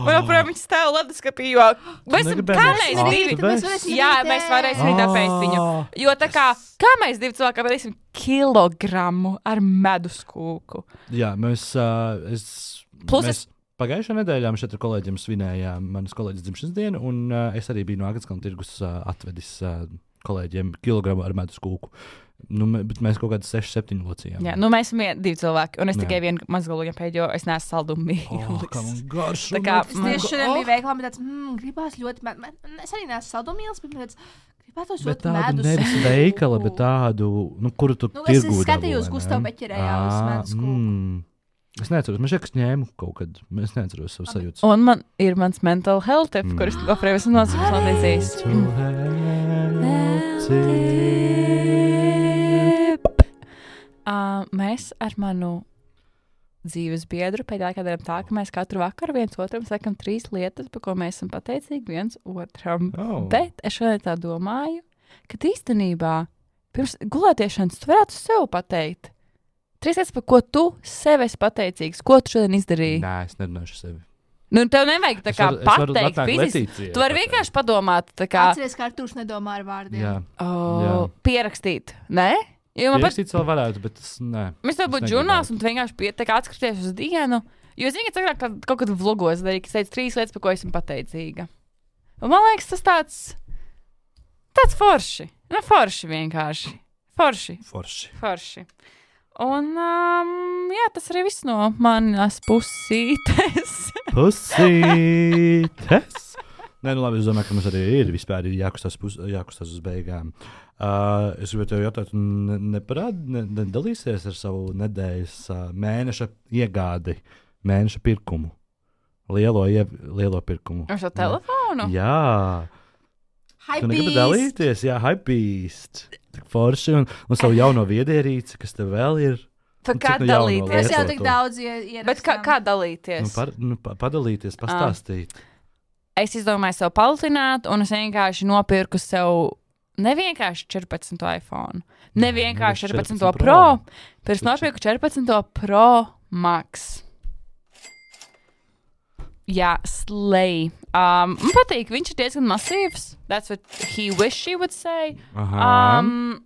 Man joprojām viņš stāv leduskapī, jo mēs, negribēji kā mēs mēs ātri divi, vest? Mēs varēsim jā, rīt mēs varēsim rīt apēst viņu. Jo tā kā, kā mēs divi cilvēki apēdīsim kilogramu ar medus kūku? Jā, mēs, uh, es, Plus mēs pagājušā nedēļā mēs šeit ar kolēģiem svinējām manas kolēģis dzimšanas dienu, un uh, es arī biju no Agatskalna tirgus uh, atvedis uh, kolēģiem kilogramu ar medus kūku. Nu, mē- bet mēs kaut kādas seši, septiņi locījām. Jā, nu mēs esam vien- divi cilvēki, un es Jā. tikai vienu mazgalu pēdējo, jo es neesmu saldumu Oh, kā man mīlis. garšo. Tā kā- Es Man tieši go- šodien oh. biju veiklā, bet tāds, mmm, gribās ļoti, man, man, es arī neesmu saldumīlis, bet man tāds, gribētos Bet ļoti tādu medus. nevis kūku. veikala, bet tādu, nu, kuru tu Nu, es tirgū skatījos dabūji, Gustavu ne? Beķerējā uz Ā, medus kūku. mm. Es neatceros, man šķiet, ka es ņēmu kaut kad, es neatceros savu sajūtu. Un man ir mans mental health tip, Mm. kurus Gofrēvis un nosauks man līdzīs. Uh, mēs ar manu dzīves biedru pēdējā laikā darām tā, ka mēs katru vakaru viens otram sakam trīs lietas, par ko mēs esam pateicīgi viens otram. Oh. Bet es šodien tā domāju, ka īstenībā pirms gulētiešanas tu varētu sev pateikt. Trīs lietas, par ko tu sev esi pateicīgs, ko tu šodien izdarīji. Nē, es nerunāšu sevi. Nu, tev nevajag tā Es kā varu- es varu pateikt atnākt fiziski. Letīcijai Tu vari pateikt. vienkārši padomāt, tā kā Atceries, ka Artūrs nedomā ar vārdiem. Jā, oh, Jā. pierakstīt. Nē? Jo man pat, pierakstīt vēl varētu, bet tas, nē. mēs tev es būtu negribētu. žurnāls un tu vienkārši pie, tā kā atskaties uz dienu. Jo es vienkārši agrāk kā- kaut kad vlogos darīju, ka es teicu trīs lietas, par ko esmu pateicīga. Un man liekas, tas tāds, tāds forši. Nu, forši vienkārši. Forši. Forši. Forši. Un, um, jā, tas arī viss no manas pusītes. Pusītes! Nē, nu labi, es domāju, ka mums arī ir vispār jākustās, pus, jākustās uz beigām. Uh, es gribēju tev jautāt, ne, neparād, ne, nedalīsies ar savu nedēļas uh, mēneša iegādi, mēneša pirkumu, lielo, ie, lielo pirkumu. Ar šo telefonu? Jā. Hypebeast. Tu negribi dalīties? Jā, Hypebeast. Tik forši un, un savu jauno viedierīci, kas tev vēl ir. Pa Un kā cik nu jauno dalīties? Mēs jau lietoto? tik daudz ierakstām. Bet kā, kā dalīties? Nu, par, nu, pa, padalīties, pastāstīt. Es izdomāju sev palutināt, un es vienkārši nopirku sev nevienkārši četrpadsmito iPhone. Nevienkārši četrpadsmito Pro. Pirms nopirku četrpadsmito Pro Max. Jā, slay. Um, man patīk, viņš ir diezgan masīvs. That's what he wish he would say. Aha. Um,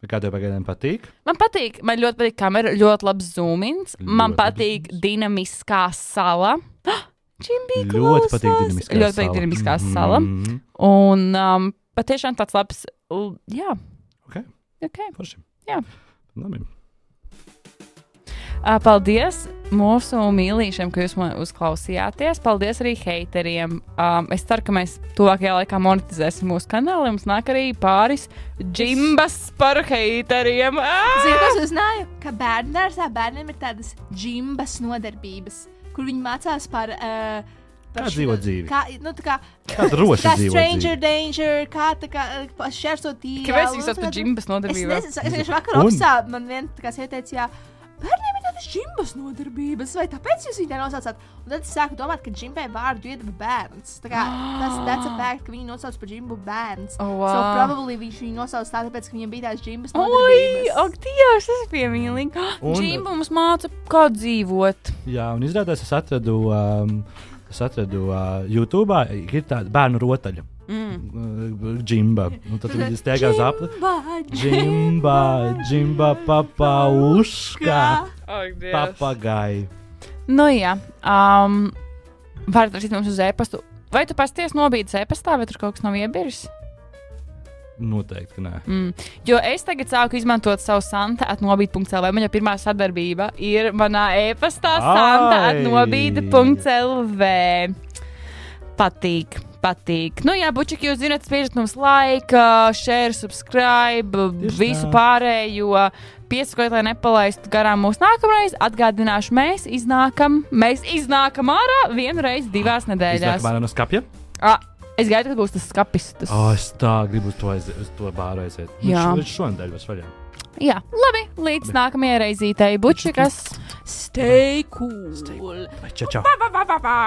Kā tev pagaidām patīk? man patīk, man ļoti patīk kamera, ļoti labs zoomins. Man Ļoti patīk labs. dinamiskā sala. Jimmy Ļoti klausās. patīk dinamiskā Ļoti patīk sala. dinamiskā sala. Mhm. Un um, patiešām tāds labs, l- jā. Ok. Ok. Forši. Jā. Labi. Uh, paldies mūsu mīlīšiem, ka jūs man uzklausījāties. Paldies arī heiteriem. Um, es ceru, ka mēs tuvākajā laikā monetizēsim mūsu kanālu. Mums nāk arī pāris džimbas par heiteriem. Zini, ko Ah! es uzzināju? Ka bērnu dārzā bērniem ir tādas džimbas nodarbības, kur viņi mācās par... Uh, Kā dzīvot dzīvi. Kā, nu, tā kā, Kā droši kā dzīvot stranger dzīvi. danger, kā tā kā uh, šķērsot tīri. Kāpēc jūs esat džimbas Es nodarbībā? nezinu, es vienkārši vakar Un? opsā man vien tā kā ieteica, jā, bērniem ir tādas džimbas nodarbības, vai tāpēc jūs viņu tā nosaucāt? Un tad es sāku domāt, ka džimbai vārdu iedeva bērns. Tā kā tas that's a fact, ka viņi nosauc par džimbu bērns. Oh, So wow. probably viņš viņu nosauc tā, tāpēc, ka viņam bija tās džimbas Oi, nodarbības. ak, Dievs, tas ir piemīlīgi. Un- Džimba mums māca, kā dzīvot. Jā, un izrādās es atradu, um, es atradu uh, YouTube, ir tāda bērnu rotaļa. Mm. Uh, Džimba. Un tad viņi steigā uz apli. Džimba, Džimba, džimba, papauška, Ak, Dievs. papagai. Nu jā, um, varat rakstīt mums uz e-pastu. Vai tu pasties nobīdes e-pastā, vai tur kaut kas nav iebiris? Noteikti, ka nē. Mm. Jo es tagad sāku izmantot savu santa atnobīde punkts l v. Man jau pirmā sadarbība ir manā e-pastā santa Ai! atnobīde punkts l v. Patīk, patīk. Nu jā, bučiki, jūs zināt, spiežat mums like, share, subscribe, Tieši visu tā. pārējo. Piesakot, lai nepalaistu garām mūsu nākamreiz. Atgādināšu, mēs iznākam, mēs iznākam ārā vienu reizi divās nedēļās. Iznāk no skapja? Ah, es gaidu, kad būs tas skapis. Tas... O, es tā gribu uz to, aiziet, uz to bāru aiziet. Jā. Viņš šonadēļ vairs vaļā. Jā, labi, līdz nākamajai reizītei bučikas. Stay cool. Čau, čau. Ba, ba, ba, ba, ba.